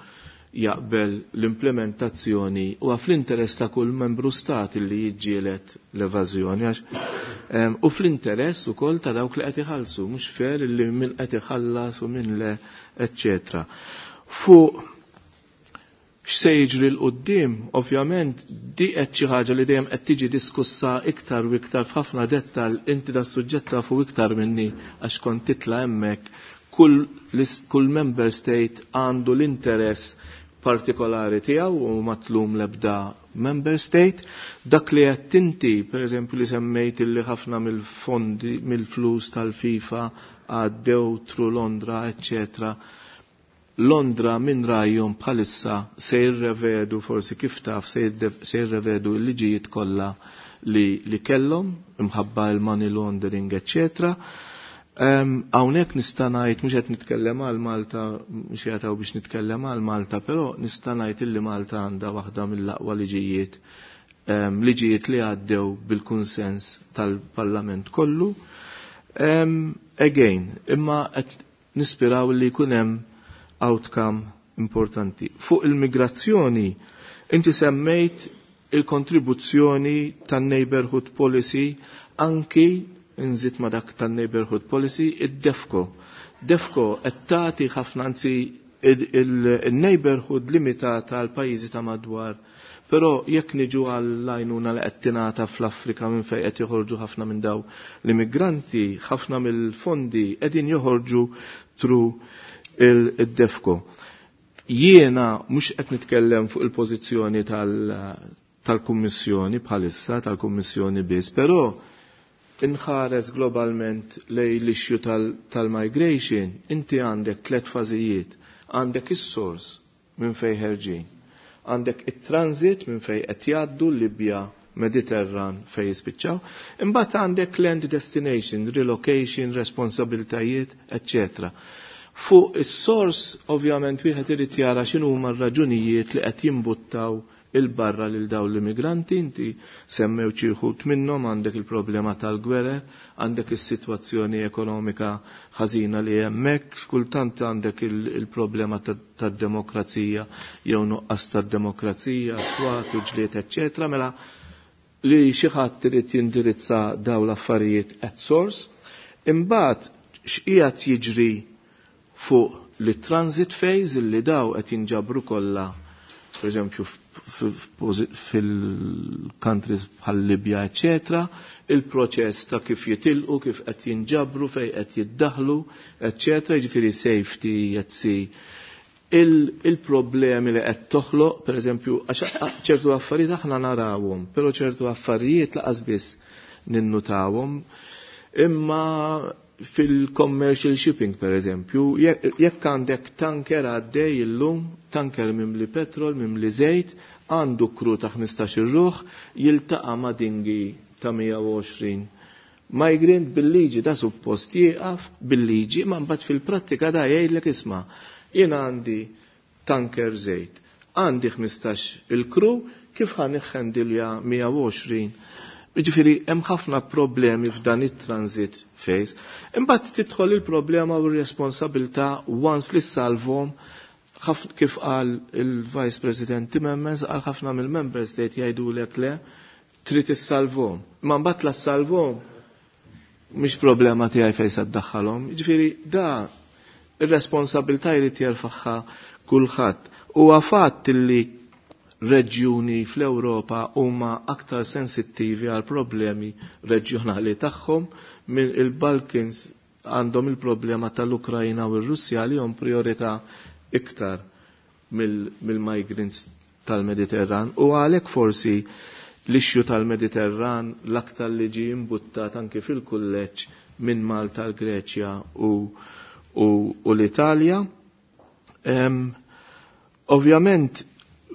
jaqbel l-implementazzjoni u fl-interess ta' kull membru stat li jiġġielet l-evażjoni għax u fl-interess ukoll ta' dawk li qed iħallsu. Mhux fair li min qed iħallas u min le, eċċetera. Fuq x'se jiġri 'l quddiem, ovvjament di qed xi ħaġa li dejjem qed tiġi diskussa iktar u iktar f'ħafna dettal. Inti da suġġett tafu iktar minni għax kont titla' hemmhekk. Kull, kull member state għandu l-interess partikolari tiegħu u ma tlum l-ebda member state. Dak li qed inti, pereżempju, li semmejt illi ħafna mill-fondi, mill-flus tal-FIFA għaddew through Londra, eccetera. Londra minn rajhom bħalissa se jirrevedu, forsi kif taf, se jirrevedu l-liġijiet kollha li, li kellhom imħabba il-money laundering, eccetera. Hawnhekk nista' ngħid, mhux qed nitkellem għal Malta, mhux jagħtaw biex nitkellem għal Malta, però nista' ngħid illi Malta għandha waħda mill-aqwa liġijiet, liġijiet li għaddew bil-kunsens tal-Parlament kollu. Again, imma qed nispiraw li jkun hemm outcome importanti. Fuq il-migrazzjoni, inti semmejt il-kontribuzzjoni tan-neighborhood policy, anki nżid ma dak tan-neighborhood policy id-DEVCO. DEVCO qed tagħti ħafna, anzi il-neighborhood limitata għal pajjiżi ta' madwar. Però jekk niġu għall-għajnuna li qed tingħata fl-Afrika minn fejn qed joħorġu ħafna minn daw l-immigranti, ħafna mill-fondi qegħdin joħorġu through il-DEVCO. Jiena mhux qed nitkellem fuq il-pożizzjoni tal-Kummissjoni bħalissa, tal-Kummissjoni biss, però inħares globalment lej l-issue tal-migration, inti għandek tlet fażijiet. Għandek is-source minn fej ħerġin, għandek it-transit minn fej qed jgħaddu, Libja, Mediterran, fej jispiċċaw, imbagħad għandek land destination, relocation, responsabiltajiet, eccetera. Fuq is-source, ovvjament wieħed irid jara x'inhu huma r-raġunijiet li qed jimbuttaw 'il barra lil dawn l-immigranti. Inti semmew xi wħud minnhom: għandek il-problema tal-gwerer, għandek is-sitwazzjoni ekonomika ħażina li hemmhekk, kultant għandek il-problema tad-demokrazija jew nuqqas tad-demokrazija, swat u ġlied, eċċetera. Mela li xi ħadd irid jindirizza dawn l-affarijiet at source. Imbagħad x'qiegħed jiġri fuq li transit phase, li daw qed jinġabru kollha, per eżempju, fil-countries bħal Libja, eccetera, il-proċess ta' kif jitilqu, kif qed jinġabru, fej qed jiddaħlu, eccetera, jiġifieri safety at sea. Il-problemi li qed toħloq, per eżempju, għax ċertu affarijiet aħna narawhom, però ċertu affarijiet lanqas biss ninnutawhom. Imma Fil-commercial shipping, per eżempju, jekk għandek tanker għaddej illum, tanker mimli petrol, mimli żejt, għandu kru ta' ħmistax-il ruħ, jiltaqa' ma' dingi ta' mija u għoxrin migrant. Bil-liġi da suppost jieqaf bil-liġi, ma mbagħad fil-prattika da jgħidlek isma', jiena għandi tanker żejt, għandi ħmistax il-kru, kif ħa niħħendilja mija u għoxrin? Jiġifieri hemm ħafna problemi f'dan it-transit phase. Imbagħad tidħol il-problema u r-responsabilità once li salvhom, kif qal il-Vice President Timmermans, qal ħafna mill-Member State jgħidulek le, trid issalvhom. Imma mbagħad la salvhom mhix problema tiegħi fejn se ddaħħalhom. Jiġifieri da ir-responsabilità jrid jerfagħha kulħadd. Huwa fatt li reġjuni fl-Ewropa huma aktar sensittivi għal problemi reġjonali tagħhom minn il-Balkans, għandhom il-problema tal-Ukrajna u r-Russja li hom priorità iktar mill-migrants tal-Mediterran, u għalhekk forsi l-issue tal-Mediterran l-aktar li ġie imbuttat anki fil-kulleġġ minn Malta, l-Greċja u, u, u l-Italja. Um, ovvjament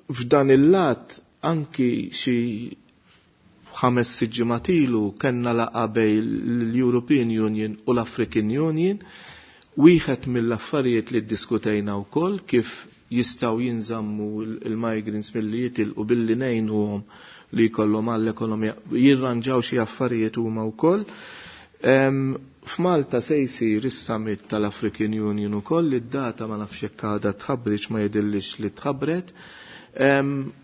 f'dan il-lat anki xi ħames sitt ġimgħat ilu kellna laqgħa bejn l-European Union u l-African Union. Wieħed mill-affarijiet li ddiskutejna wkoll kif jistgħu jinżammu il-migrants milli jitilqu billi ngħinuhom li jkollhom għall-ekonomija, jirranġaw xi affarijiet huma wkoll. F'Malta se jsir is-summit tal-African Union ukoll, id-data ma nafx jekk għadha tħabbriċ, ma jidhirlix li tħabbret.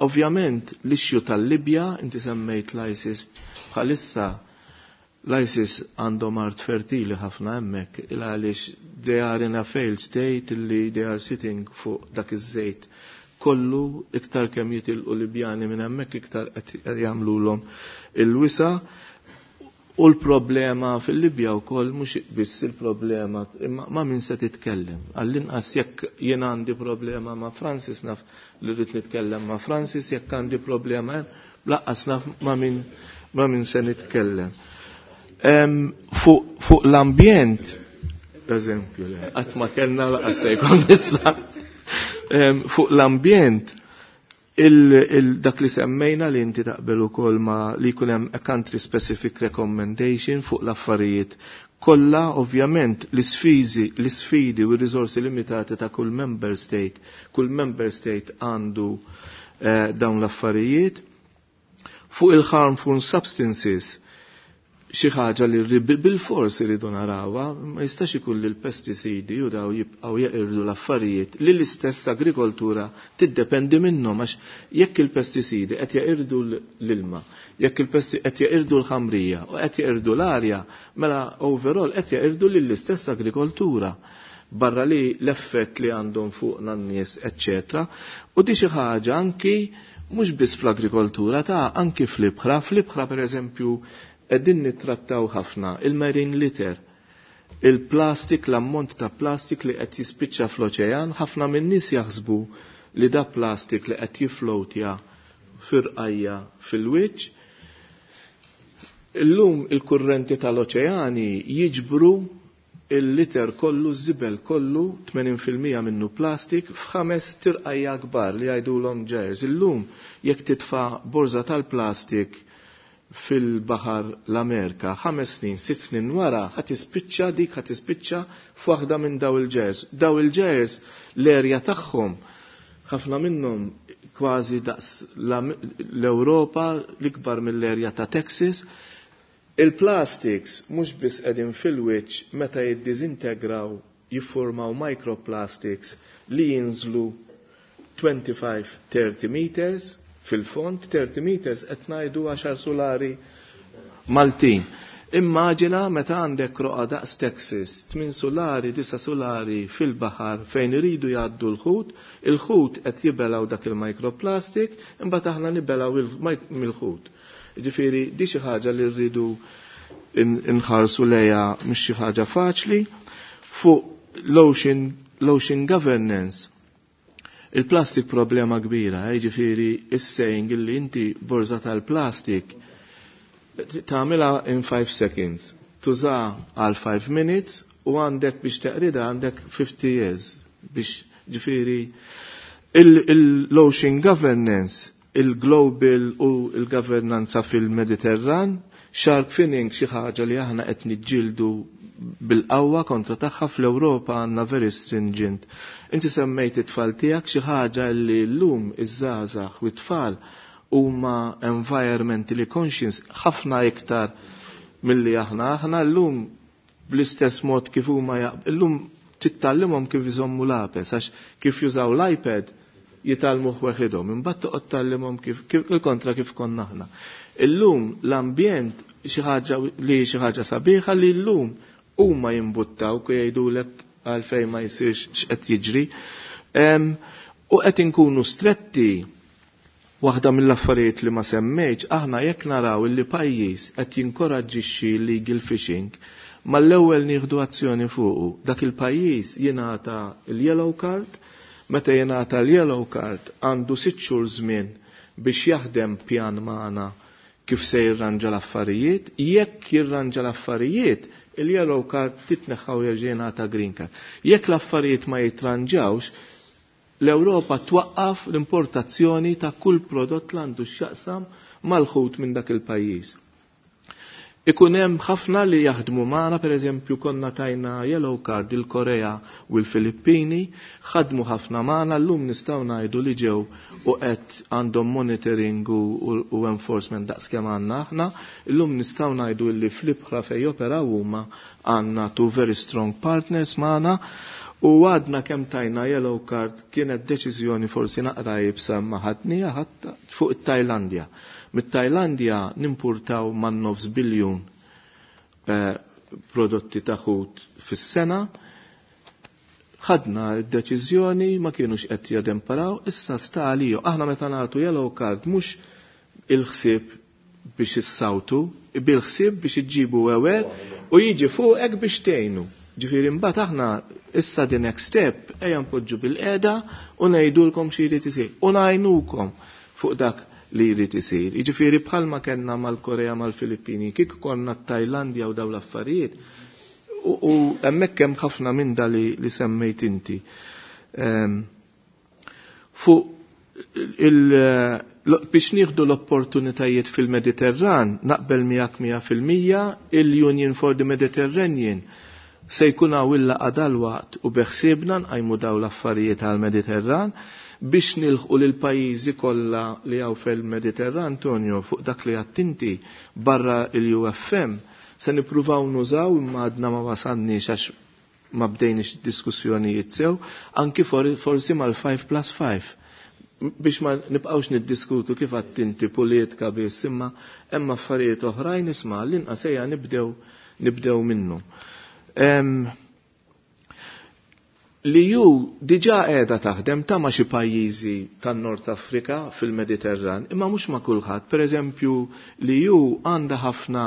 Ovvjament l-issue tal-Libja, inti semmejt l-ISIS, bħalissa l-ISIS għandhom art fertili ħafna hemmhekk, il għaliex they are in a failed state li they are sitting fuq dak iż-żejt kollu, iktar kemm jitilqu Libjani minn hemmhekk iktar qed jagħmluhom il-wisa. U l-problema fil-Libja wkoll mhux biss il-problema imma ma' min se titkellem. Għall-inqas jekk jien għandi problema ma' Francis naf li rrid nitkellem ma' Francis, jekk għandi problema laqqas naf ma' min ma' min se nitkellem. Fuq fu l-ambjent, per eżempju, qatt ma kellna laqas se jkun issa. Fuq l-ambjent, dak li semmejna li inti taqbel ukoll ma li jkun hemm a country specific recommendation fuq l-affarijiet kollha, ovvjament l-isfidi l-isfidi u r-riżorsi limitati ta' kull member state, kull member state għandu eh, dawn l-affarijiet. Fuq il-harmful substances, xi ħaġa li bil-fors iridu narawha, ma jistax ikun li l-pesticidi u daw jibqgħu jeqirdu l-affarijiet li l-istess agrikoltura tiddependi minnhom, għax jekk il-pesticidi qed jeqirdu l-ilma, jekk il-pesti qed jeqirdu l-ħamrija u qed jeqirdu l-arja, mela overall qed jeqirdu lill-istess agrikoltura, barra li l-effett li għandhom fuq n-nies, eċċetera. U di xi ħaġa anki mhux biss fl-agrikoltura, ta' anki fl-ibħra, fl-ibħra pereżempju qegħdin nittrattaw ħafna il-marine litter, il-plastik, l-ammont ta' plastik li qed jispiċċa fl-oċean, ħafna min-nies jaħsbu li da plastik li qed jiflowtja fir-rqajja fil-wiċċ. Illum il-kurrenti tal-oċeani jiġbru il-liter kollu, z-zibel kollu, tmenin fil-mija minnu plastik, f'ħames tirqajja kbar li jgħidulhom gyres. Illum jekk titfa' borza tal-plastik fil-baħar l-Amerika, ħames snin, sitt snin wara, ħa tispiċċa dik, ħa tispiċċa f'waħda minn daw il-gyres. Daw il-gyres l-erja tagħhom ħafna minnhom kważi daqs l-Ewropa, l-ikbar mill-erja ta' Texas. Il-plastics mhux biss qegħdin fil-wiċċ, meta jiddiżintegraw jiffurmaw microplastics li jinżlu twenty-five thirty meters fil-fond, thirty meters qed ngħidu għaxar solari Maltin. Immaġina meta għandek roqa daqs Texas, tmien solari, disa solari fil-baħar fejn iridu jgħaddu l-ħut, il-ħut qed jibelaw dak il-microplastic, imbagħad aħna nibelaw mill-ħut. Ġifieri di xi ħaġa li rridu inħarsu lejha, mhix xi ħaġa faċli. Fuq l-ocean, l-ocean governance, il-plastik problema kbira, eh, ġifieri is-saying illi inti borza tal-plastik tagħmilha in five seconds. Tuża għal five minutes u għandek biex teqrida għandek fifty years biex ġifieri il-ocean governance, il-global u il-governanza fil-Mediterran, shark finning xi ħaġa li aħna qed niġġieldu bil-qawwa kontra tagħha fl-Ewropa għandna very stringent. Inti semmejt it-tfal tiegħek xi ħaġa li llum iż-żgħażagħ u t-tfal huma environmentally conscious ħafna iktar milli aħna. Aħna llum bl-istess mod kif huma llum tittallimhom kif iżommu l-apes, għax kif jużaw l-iPad jitgħallmuh weħidhom, imbagħad toqgħod tgħallimhom kif il-kontra kif konna aħna. Illum l-ambjent xi ħaġa li xi ħaġa sabiħa li llum huma jimbuttaw ku jgħidulek għalfejn ma jsirx x'qed jiġri. U qed inkunu stretti. Waħda mill-affarijiet li ma semmejtx, aħna jekk naraw illi pajjiż qed jinkoraġġixxi illegal fishing, mal-ewwel nieħdu azzjoni fuqu. Dak il-pajjiż jingħata l-yellow card, meta jingħata l-yellow card għandu sitt xhur żmien biex jaħdem pjan magħna kif se jirranġa l-affarijiet, jekk jirranġa l-affarijiet, il-yellow card titneħħa u jerġa' jingħata green card. Jekk l-affarijiet ma jitranġawx, l-Ewropa twaqqaf l-importazzjoni ta' kull prodott li għandu x'jaqsam mal-ħut minn dak il-pajjiż. Ikun hemm ħafna li jaħdmu magħna, pereżempju konna tajna yellow card il-Korea u l-Filippini, ħadmu ħafna magħna, llum nistgħu ngħidu li ġew u qed għandhom monitoring u, u, u enforcement daqskemm għandna aħna, illum nistgħu ngħidu li fl-ibħra fejn joperaw huma għandna two very strong partners magħna. U għadna kemm tajna yellow card kienet deċiżjoni forsi naqra jibsa ma ħadnija ħadd fuq it-Tajlandja. Mit-Tajlandja nimpurtaw man nofs biljun eh, prodotti ta' ħut fis-sena. Ħadna d-deċiżjoni ma kienux qed jademparaw, issa sta għaliju. Aħna meta nagħtu yellow card mhux il-ħsieb biex issawtu, bil-ħsieb biex iġġibu ewwel u jiġi fuqek biex tgħinu. Ġifieri mbagħad aħna issa the next step ejja npoġġu bil-qiegħda u ngħidulkom xi jrid isir u ngħinukom fuq dak li jrid isir. Jiġifieri bħalma kellna mal-Korea mal-Filippini, kif konna t-Tajlandja u dawn l-affarijiet, u hemmhekk hemm ħafna minn da li, li semmejt inti. Fuq il, biex nieħdu l-opportunitajiet fil-Mediterran, naqbel miegħek mija fil-mija il-Union for the Mediterranean se jkun hawn il-laqgħa dalwaqt u beħsiebna nqajmu dawn l-affarijiet għall-Mediterran biex nilħqu lil pajjiżi kollha li hawn fil-Mediterran, Antonio, fuq dak li għattinti barra il-U F M se nippruvaw nużaw imma għadna ma wasalniex għax ma bdejniex diskussjonijiet sew, anki forsi mal-five plus five biex ma nibqgħux niddiskutu kif għattinti politika biss, imma hemm affarijiet oħrajn isma' l-inqas ejja nibdew nibdew minnu. Um, li ju diġa qiegħda taħdem ta' ma' xi pajjiżi tan-Nord Afrika fil-Mediterran, imma mhux ma' kulħadd. Pereżempju, li ju għandha ħafna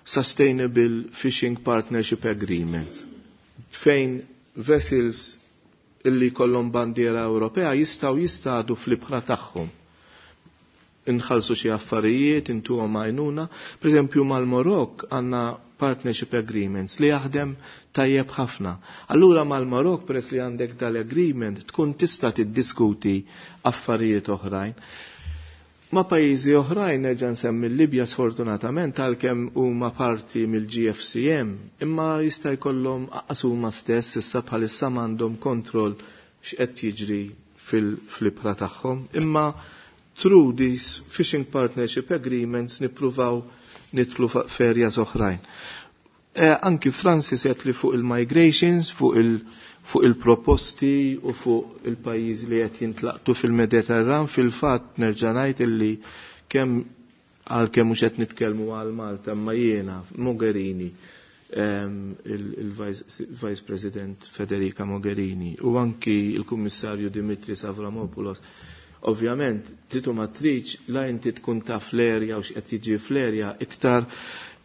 Sustainable Fishing Partnership Agreements fejn vessels illi kollhom bandiera Ewropea jistgħu jistadu fl-ibħra tagħhom. Inħallsu xi affarijiet, intuhom għajnuna. Pereżempju mal-Marokk għandna partnership agreements li jaħdem tajjeb ħafna. Allura mal-Marokk peress li għandek dal-agreement tkun tista' tiddiskuti affarijiet oħrajn. Ma' pajjiżi oħrajn nerġa' nsemmi l-Libja sfortunatament għalkemm huma parti mill-G F C M, imma jista' jkollhom aqas huma stess issa bħalissa m'għandhom kontroll x'qed jiġri fil-ibħra tagħhom. Imma through these fishing partnership agreements nippruvaw nitlu ferja oħrajn. Eh, anki Francis qed li fuq il-migrations, fuq il-, fuq il-proposti u fuq il-pajjiż li qed jintlaqtu fil-Mediterran, fil-fatt nerġa' ngħid illi kemm għalkemm mhux qed nitkellmu għal Malta, imma jiena Mogherini, ehm, il-Vice President Federica Mogherini u anki il-Kummissarju Dimitris Avramopoulos. Ovvjament, titu ma triċ, la inti tkun taf l-erja u x'qed jiġi fl-erja, iktar,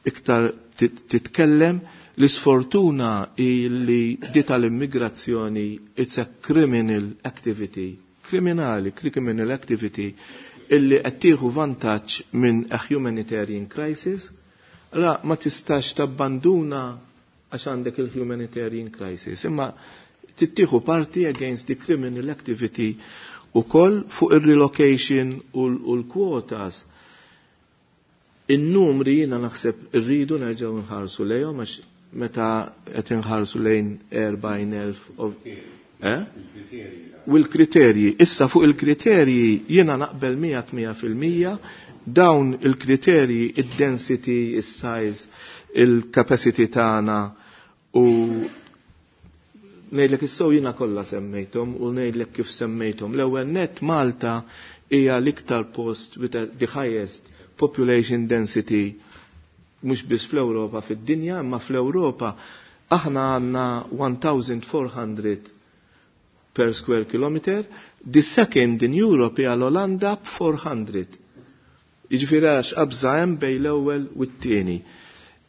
iktar titkellem. L-isfortuna li di tal-immigrazzjoni it's a criminal activity, kriminali, criminal activity, illi qed tieħu vantaġġ minn a humanitarian crisis Allora ma tistax tabbanduna għax għandek il-humanitarian crisis, imma tittieħu parti against the criminal activity u koll fuq il-relocation u l-quotas. In-numri jiena naħseb irridu nerġgħu nħarsu lejhom għax meta qed inħarsu lejn erbgħin elf eh? U l-kriterji. Issa fuq il-kriterji jiena naqbel miegħek mija fil-mija dawn il-kriterji, id-density, is-size, il-capacity tagħna u ngħidlek issew jiena kollha semmejthom u ngħidlek kif semmejthom. L-ewwel nett Malta hija l-iktar post with the highest population density mhux biss fl-Ewropa fid-dinja, imma fl-Ewropa aħna għandna one thousand four hundred per square kilometer, the second in Europe hija l-Olanda b'four hundred. Jiġifieri għax qabża hemm bejn l-ewwel u t-tieni.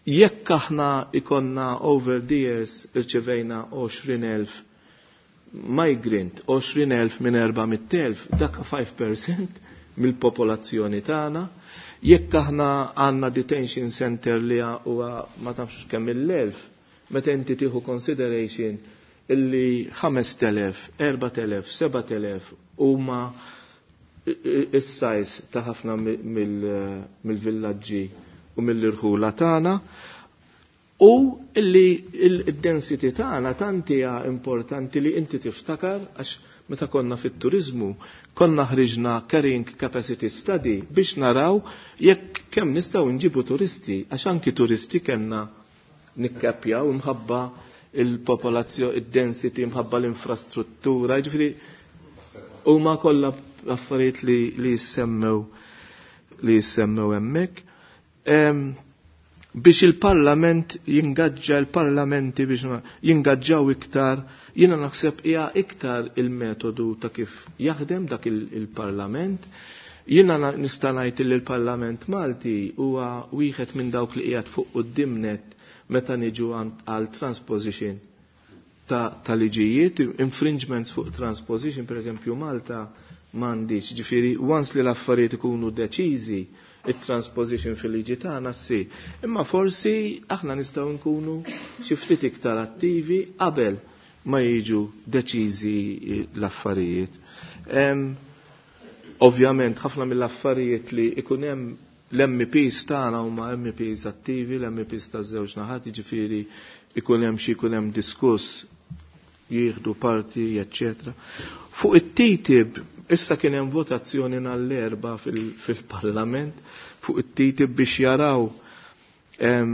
Jekk aħna ikonna over the years irċevejna għoxrin elf migrant, għoxrin elf minn erba' mitt elf, dak five percent mill-popolazzjoni tagħna. Jekk aħna għandna detention center li huwa ma tafx kemm il-elf, meta inti tieħu consideration illi ħamest elef, erbat elef, sebat elef huma is-size ta' ħafna mill-villaġġi u mill-irħula tagħna, u illi il-density tagħna tant hija importanti li inti tiftakar għax meta konna fit-turizmu konna ħriġna carrying capacity study biex naraw jekk kemm nistgħu nġibu turisti, għax anki turisti kellna nikkapjaw imħabba il-popolazzjoni, id-density, imħabba l-infrastruttura, jiġifieri huma kollha affarijiet li, li jissemmew li jissemmew hemmhekk. Biex il-parlament jingaġġa l-parlamenti biex jingaġġaw iktar, jiena naħseb hija iktar il-metodu ta' kif jaħdem dak il-parlament. Jiena nista' ngħid li l-Parlament Malti huwa wieħed minn dawk li qiegħed fuq quddiem nett meta niġu għal transposition ta', ta' liġijiet, infringements fuq transposition, per eżempju Malta m'għandix, ġifieri once li l-affarijiet ikunu deċiżi, it-transposition fil-liġi tagħna ssir. Imma forsi aħna nistgħu nkunu xi ftit iktar attivi qabel ma jiġu deċiżi l-affarijiet. Ovvjament ħafna mill-affarijiet li ikun hemm l-M Ps tagħna huma M Ps attivi, l-M Ps taż-żewġ naħat, jiġifieri ikun hemm xi jkun hemm diskuss jieħdu parti, eċċetera. Fuq it-T T I P, issa kien hemm votazzjoni nhar-Erbgħa fil-Parlament fuq it-T T I P biex jaraw, em,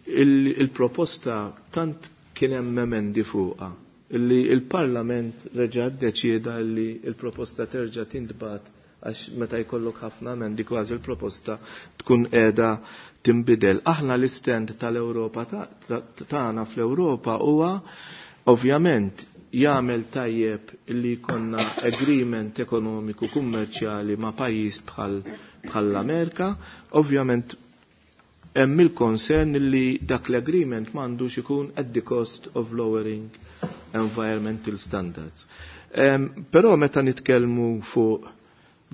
il-proposta tant kien hemm emendi fuqha illi il-Parlament reġa' ddeċieda li il-proposta terġa' tintbagħat għax meta jkollok ħafna emendi kważi l-proposta tkun qiegħda tinbidel. Aħna l-istand tal-Ewropa tagħna fl-Ewropa huwa ovvjament jagħmel tajjeb li jkollna agreement ekonomiku kummerċjali ma' pajjiż bħal bħall-Amerika, ovvjament hemm il-concern li dak l-agreement m'għandux ikun at the cost of lowering environmental standards. Um, però meta nitkellmu fuq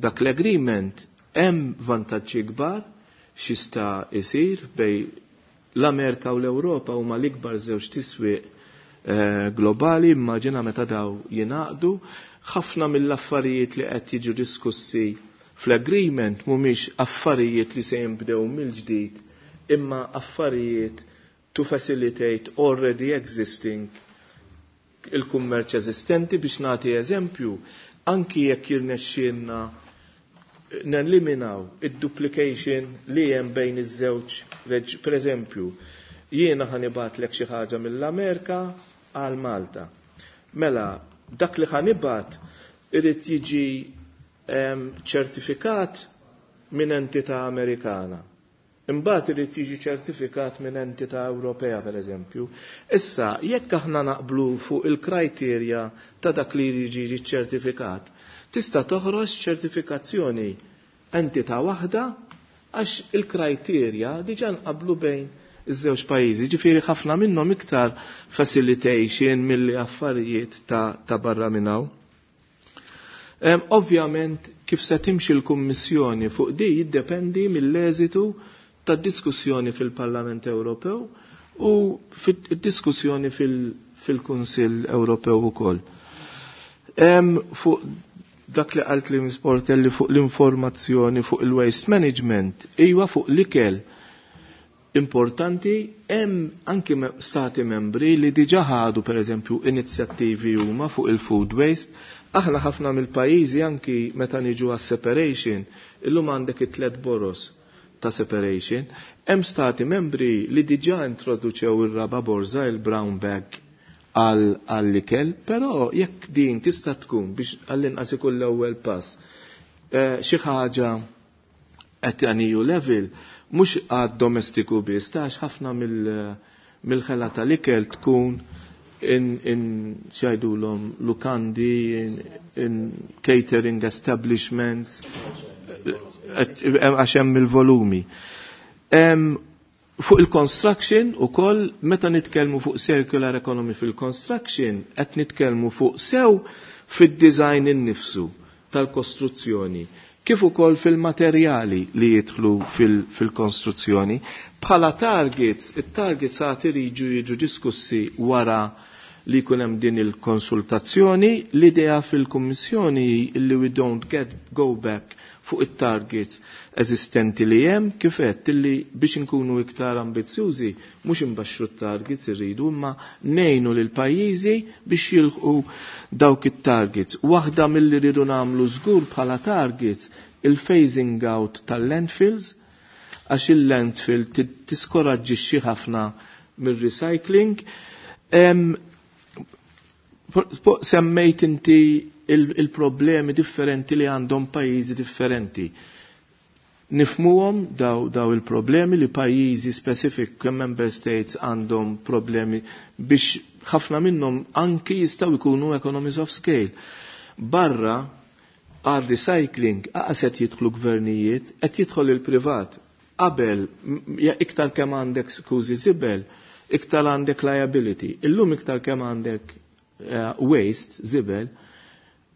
dak l-agreement hemm vantaġġi kbar x'jista' jsir bej l-Amerika u l-Ewropa huma l-ikbar żewġ tiswieq, eh, globali, immaġina meta daw jingħaqdu, ħafna mill-affarijiet li qed jiġu diskussi fl-agreement mhumiex affarijiet li se jinbdew mill-ġdid, imma affarijiet to facilitate already existing il-kummerċ eżistenti. Biex nagħti eżempju, anki jekk jirnexxielna neliminaw id-duplication li hemm bejn iż-żewġ reġ-, per eżempju, jiena ħanibatlek xi ħaġa mill-Amerika għal Malta. Mela, dak li ħanibat irid jiġi, em, ċertifikat minn entità Amerikana. Imbagħad irid jiġi ċertifikat minn entità Ewropea, per eżempju. Issa, jekk aħna naqblu fuq il-kriterja ta' dak li jiġi ċertifikat, tista' toħroġ ċertifikazzjoni entità waħda għax il-kriterja diġà nqablu bejn iż-żewġ pajjiżi. Ġifieri ħafna minnhom iktar facilitation milli affarijiet ta', ta' barra minn hawn. Em, ovvjament, kif se timxi l-Kummissjoni fuq di jiddependi mill-eżitu ta' diskussjoni fil-Parlament Ewropew u fid-diskussjoni fil-Kunsill Ewropew ukoll. Fuq dak li qalt li Sportelli fuq l-informazzjoni fuq il-waste management, iwa fuq l-ikel importanti, hemm anki stati membri li diġa ħadu pereżempju inizjattivi huma fuq il-food waste. Aħna ħafna mill-pajjiżi anki meta niġu għas-separation, illum għandek it-tlet boros ta' separation, hemm stati membri li diġà introduċew ir-raba borza, il-brown bag għall-ikel, però jekk din tista' tkun biex għall-inqas ikun l-ewwel pass xi ħaġa at an E U level, mhux għad domestiku biss, tax ħafna mill-ħela tal-ikel tkun in, in xajdulhom lukandi, in, in catering establishments, għax hemm il-volumi. Fuq il-construction u koll, meta nitkellmu fuq circular economy fil-construction, qed nitkellmu fuq sew fid-design innifsu tal-kostruzzjoni, kif ukoll fil-materjali li jidħlu fil-konstruzzjoni. Bħala targets, it-targets għad iriġu jiġu diskussi wara li jkun hemm din il-konsultazzjoni. L-idea fil-Kummissjoni li we don't get go back fuq it-targets eżistenti li hemm, kif għedt illi biex inkunu iktar ambizzjużi mhux imbaxxu t-targets irridu imma ngħinu lil pajjiżi biex jilħqu dawk it-targets. Waħda milli rridu nagħmlu żgur bħala targets il-phasing out tal-landfills, għax il-landfill tiskoraġġixxi ħafna mir-recycling. Semmejt inti il-problemi differenti li għandhom pajjiżi differenti. Nifmuhom daw, daw il-problemi li pajjiżi specific kemm member states għandhom problemi biex ħafna minnhom anki jistgħu jkunu economies of scale. Barra għal recycling aqas qed jidħlu gvernijiet, qed jidħol il-privat. Qabel iktar kemm għandek skużi żibel, iktar għandek liability. Illum iktar kemm għandek uh, waste, żibel,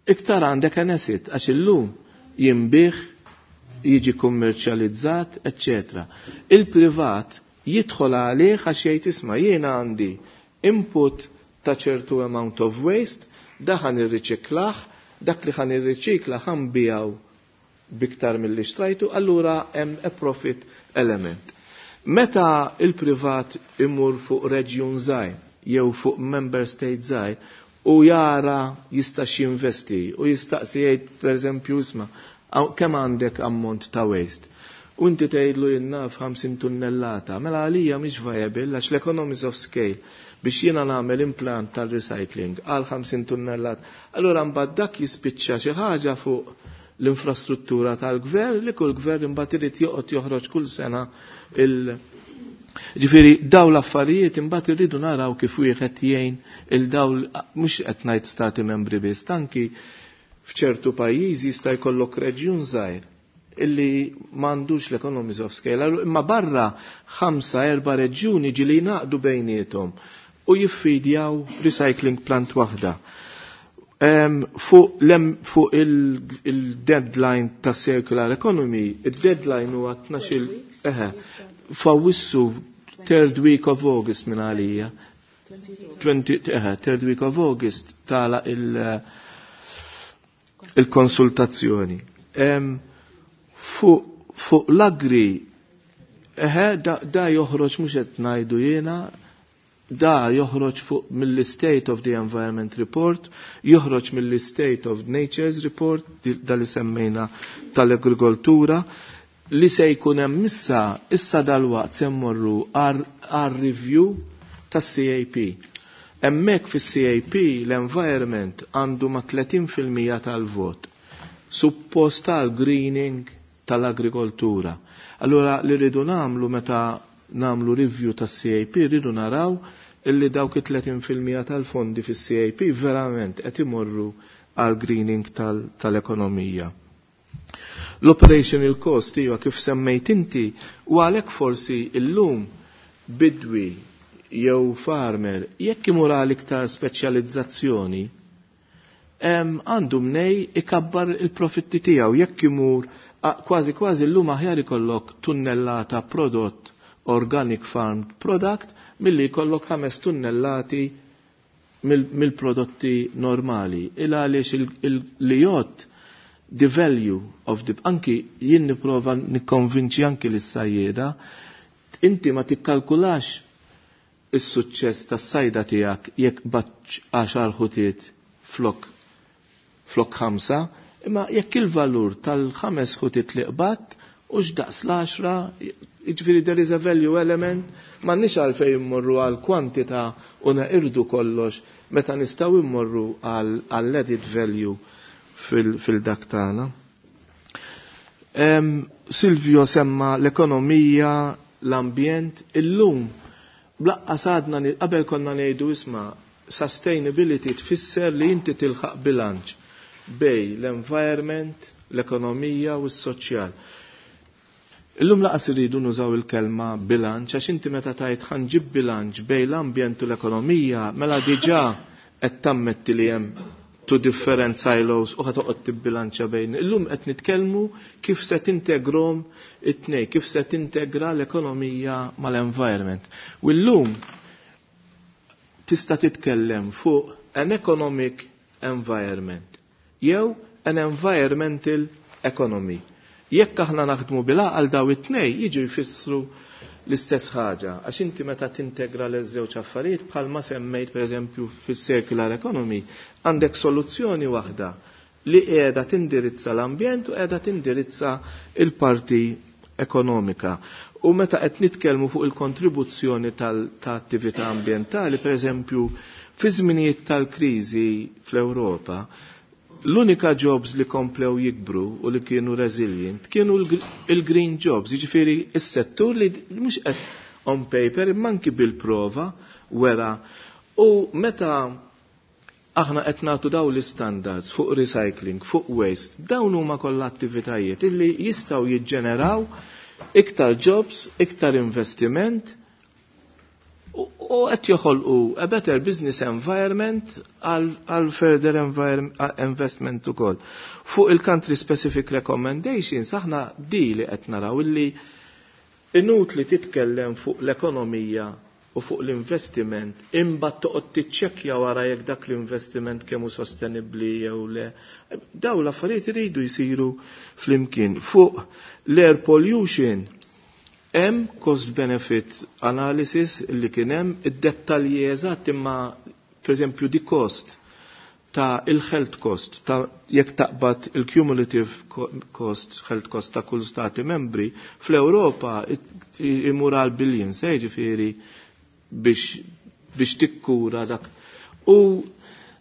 iktar għandek an asset, għax illum jinbih, jiġi kummerċjalizzat, eccetera. Il-privat jidħol għalih għax jgħid isma' jiena għandi input ta' ċertu amount of waste, da ħan irriċiklaħ, dak li ħan irriċikla ħan bijaw biktar mill-li xtrajtu, allura hemm a profit element. Meta il-privat imur fuq reġjun żgħir jew fuq member state żgħir u jara jistax jinvesti u jistaqsi jgħid pereżempju isma' kemm għandek ammont ta' waste. U inti tgħidlu jien naf ħamsin tunnellata, mela għalija mhix viable għax l-economies of scale biex jiena nagħmel implant tal-recycling għal ħamsin tunnellat. Allura mbagħad dak jispiċċa xi ħaġa fuq l-infrastruttura tal-gvern li kull gvern imbagħad irid joqgħod joħroġ kull sena il- Ġifieri daw l-affarijiet imbagħad irridu naraw kif wieħed jgħin il daw mhux qed ngħid stati membri biss, anki f'ċertu pajjiżi jista' jkollok reġjun żgħir illi m'għandux l-economies of scale, imma barra ħamsa erba' reġjuni ġieli jnaqdu bejniethom u jiffidjaw recycling plant waħda. Um, fuq fu il-deadline il ta' circular economy, il-deadline huwa tnax-il eħe, fawissu third week of August minn għalija. Eħe, third week of August tala il- il-konsultazzjoni. Um, fuq fu l-agri, eħe, da, da joħroġ mhux qed ngħidu jiena, da joħroġ fuq mill-State of the Environment Report, joħroġ mill-State of Nature's Report, da li semmejna tal-agrikoltura, li se jkun hemm issa, issa dalwaqt se mmorru għar review tas-C A P. Hemmhekk fis-C A P l-environment għandu ma' tletin fil-mija tal-vot. Suppost tal-greening tal-agrikoltura. Allura li rridu nagħmlu meta nagħmlu review tas-C A P rridu naraw illi dawk it-tletin fil-mija tal-fondi fis-C A P verament qed imorru għal greening tal-ekonomija. L-operational cost iva kif semmejt inti u għalhekk forsi illum bidwi jew farmer jekk imur għal iktar speċjalizzazzjoni għandu mnej ikabbar il-profitti tiegħu, jekk imur Kważi kważi llum aħjar ikollok tunnellata prodott organic farmed product milli jkollok ħames tunnellati mill-prodotti normali. Il għaliex li jgħod the value of the anki jien nipprova nikkonvinċi anki lis-sajjieda, inti ma tikkalkulax is-suċċess tas-sajda tiegħek jekk baċ għaxar ħutiet flok flok ħamsa, imma jekk il-valur tal-ħames ħutiet li qbatt u x'daqs l-għaxra, jiġifieri there is a value element, m'għandniex għalfejn immorru għal kwantità u neqirdu kollox meta nistgħu immorru għall added value fil-dak tagħna. Silvio semma l-ekonomija, l-ambjent, illum blaqqa sadna qabel konna ngħidu isma' sustainability tfisser li inti tilħaq bilanċ bej l-environment, l-ekonomija u s-soċjal. Illum laqas iridu nużaw il-kelma bilanċ għax inti meta tajt ħanġib bilanċ bej l-ambjent u l-ekonomija mela diġà qed tammetti li hemm two different silos u ħatoqgħod tibbilanċa bejn. Illum qed nitkellmu kif se tintegrom it-tnej, kif se tintegra l-ekonomija mal-environment. U llum tista' titkellem fuq an economic environment jew an environmental economy. Jekk aħna naħdmu bil-għaqal daw it-tnej jiġu jfissru l-istess ħaġa, għax inti meta tintegra l-żewġ affarijiet bħalma semmejt pereżempju fis-circular economy, għandek soluzzjoni waħda li qiegħda tindirizza l-ambjent u qiegħda tindirizza il-parti ekonomika. U meta qed nitkellmu fuq il-kontribuzzjoni tal-attività ambjentali, pereżempju fi żminijiet tal-kriżi fl-Ewropa, l-unika jobs li komplew jikbru u li kienu resilient kienu il-green jobs, jiġifieri s-settur li mhux qed on paper imma anki bil-prova wera. U meta aħna qed nagħtu dawn l-istandards fuq recycling, fuq waste, dawn huma kollha attivitajiet illi jistgħu jiġġeneraw iktar jobs, iktar investiment u qed joħolqu a better business environment għal further investment ukoll. Fuq il-country specific recommendations aħna di li qed naraw illi inutli titkellem fuq l-ekonomija u fuq l-investiment imbagħad toqgħod tiċċekkja wara jekk dak l-investiment kemm hu sostenibbli jew le. Dawn l-affarijiet iridu jsiru flimkien. Fuq l-air pollution hemm cost benefit analysis li kien hemm id-dettalji eżatt imma pereżempju di cost ta' il-health cost ta' jekk taqbad il-cumulative cost health cost ta' kull stati membri fl-Ewropa imur għal billions, eh, ġifieri biex biex tikkura dak. U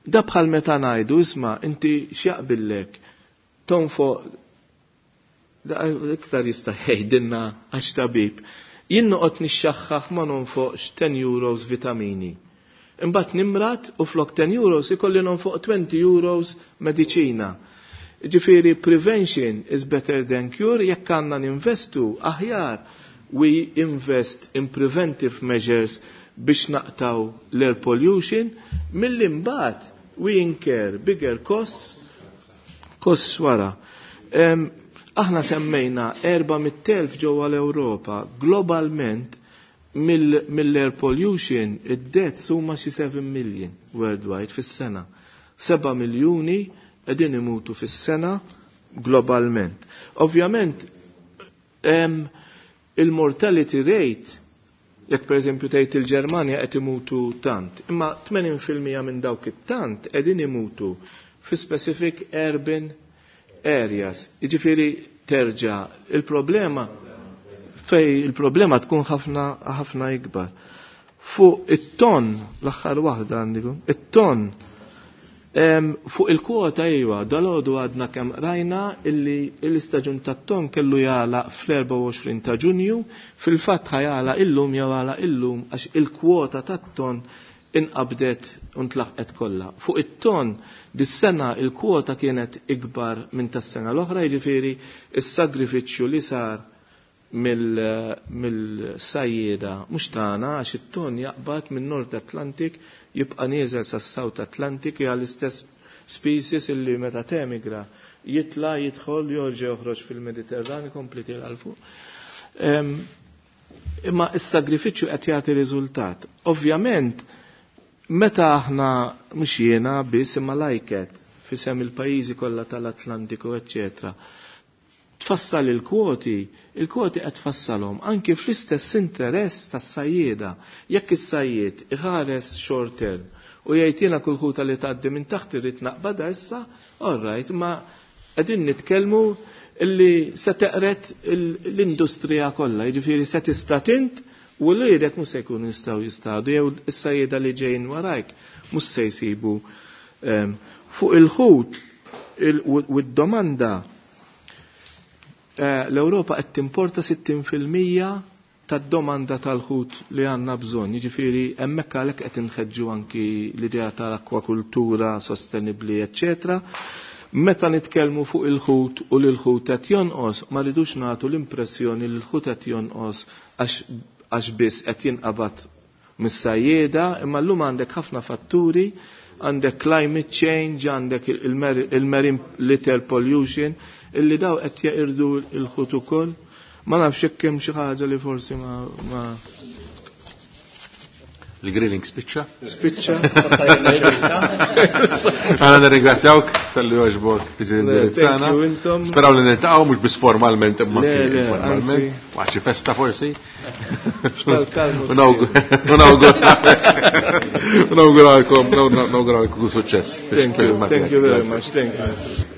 da bħal meta ngħidu isma' inti x'jaqbillek tonfoq iktar jista' jgħidilna għax tabib. Jien noqgħod nixxaħħaħ ma nonfoqx ten euros vitamini. Imbagħad nimrat u flok ten euros ikolli nonfoq twenty euros mediċina. Ġifieri prevention is better than cure, jekk għandna ninvestu aħjar we invest in preventive measures biex naqtaw l-air pollution, milli mbagħad we incur bigger costs, costs wara. Um, aħna semmejna erba' mitt elf ġewwa l-Ewropa, globalment mill-air pollution id-deaths huma xi seven million worldwide fis-sena. Seba' miljuni qegħdin imutu fis-sena globalment. Ovvjament il-mortality rate, jekk pereżempju tgħid il-Ġermanja qed imutu tant, imma tmenin fil-mija minn dawk it-tant qegħdin imutu fi specific urban areas. Jiġifieri terġa' il-problema fej il-problema tkun ħafna ħafna ikbar. Fuq it-ton, l-aħħar waħda għandikum, it-ton fuq il-kwota iwa, dal-għodu għadna kemm rajna illi l-istaġun tat-ton kellu jagħlaq fl-erbgħa u għoxrin ta' Ġunju, fil-fatt ħajala illum jew għala illum għax il-kwota tat-ton inqabdet u ntlaħqet kollha. Fuq it-ton dis-sena il-kwota kienet ikbar minn tas-sena l-oħra, jiġifieri is-sagrifiċċju li sar mill-sajjieda mhux tagħna għax it-ton jaqbad minn Nord Atlantic jibqa' nieżel sas-South Atlantic hija l-istess species illi meta temigra jitla, jidħol, jorġa joħroġ fil-Mediterran, ikompli tiela' 'l fuq. Imma is-sagrifiċċju qed jagħti riżultat. Ovvjament, meta aħna mhux jiena biss imma l-ICCAT f'isem il-pajjiżi kollha tal-Atlantiku, eċċetera. Tfassal il-kwoti, il-kwoti qed tfassalhom anki fl-istess interess tas-sajjieda. Jekk is-sajjied iħares short term u jgħid jiena kull ħuta li tgħaddi minn taħt irrid naqbadha issa, all right, ma qegħdin nitkellmu illi se teqret l-industrija kollha, jiġifieri se tista' tint u l-għidek mhux se jkunu jistgħu jistadu jew is-sajjieda li ġejjin warajk mhux se jsibu ehm, fuq il-ħut u d-domanda eh, l-Ewropa qed timporta sittin fil-mija tad-domanda tal-ħut li għandna bżonn. Jiġifieri hemmhekk għalhekk qed inħeġġu anki l-idea tal-akwakultura sostenibbli, eċċetera. Meta nitkellmu fuq il-ħut u li l-ħut qed jonqos, ma rridux nagħtu l-impressjoni li l-ħut qed jonqos għax biss qed jinqabad mis-sajjieda, imma llum għandek ħafna fatturi, għandek climate change, għandek il-marine litter pollution, illi daw qed jeqirdu l-ħut ukoll. Ma nafx jekk hemm xi ħaġa li forsi ma, ma Il-grilling spiċċa? Spiċċa. Għana nirringrazzjawk tal-li għoġbok tiġi indirizzana. Thank you, intom. Speraw li niltaqgħu mhux biss formalment imma Le, anki le, informalment. anzi. Waqt xi festa forsi. Tal-kalmu. Nawguralkom, nawguralkom suċċess. Thank you, thank you very much, thank you.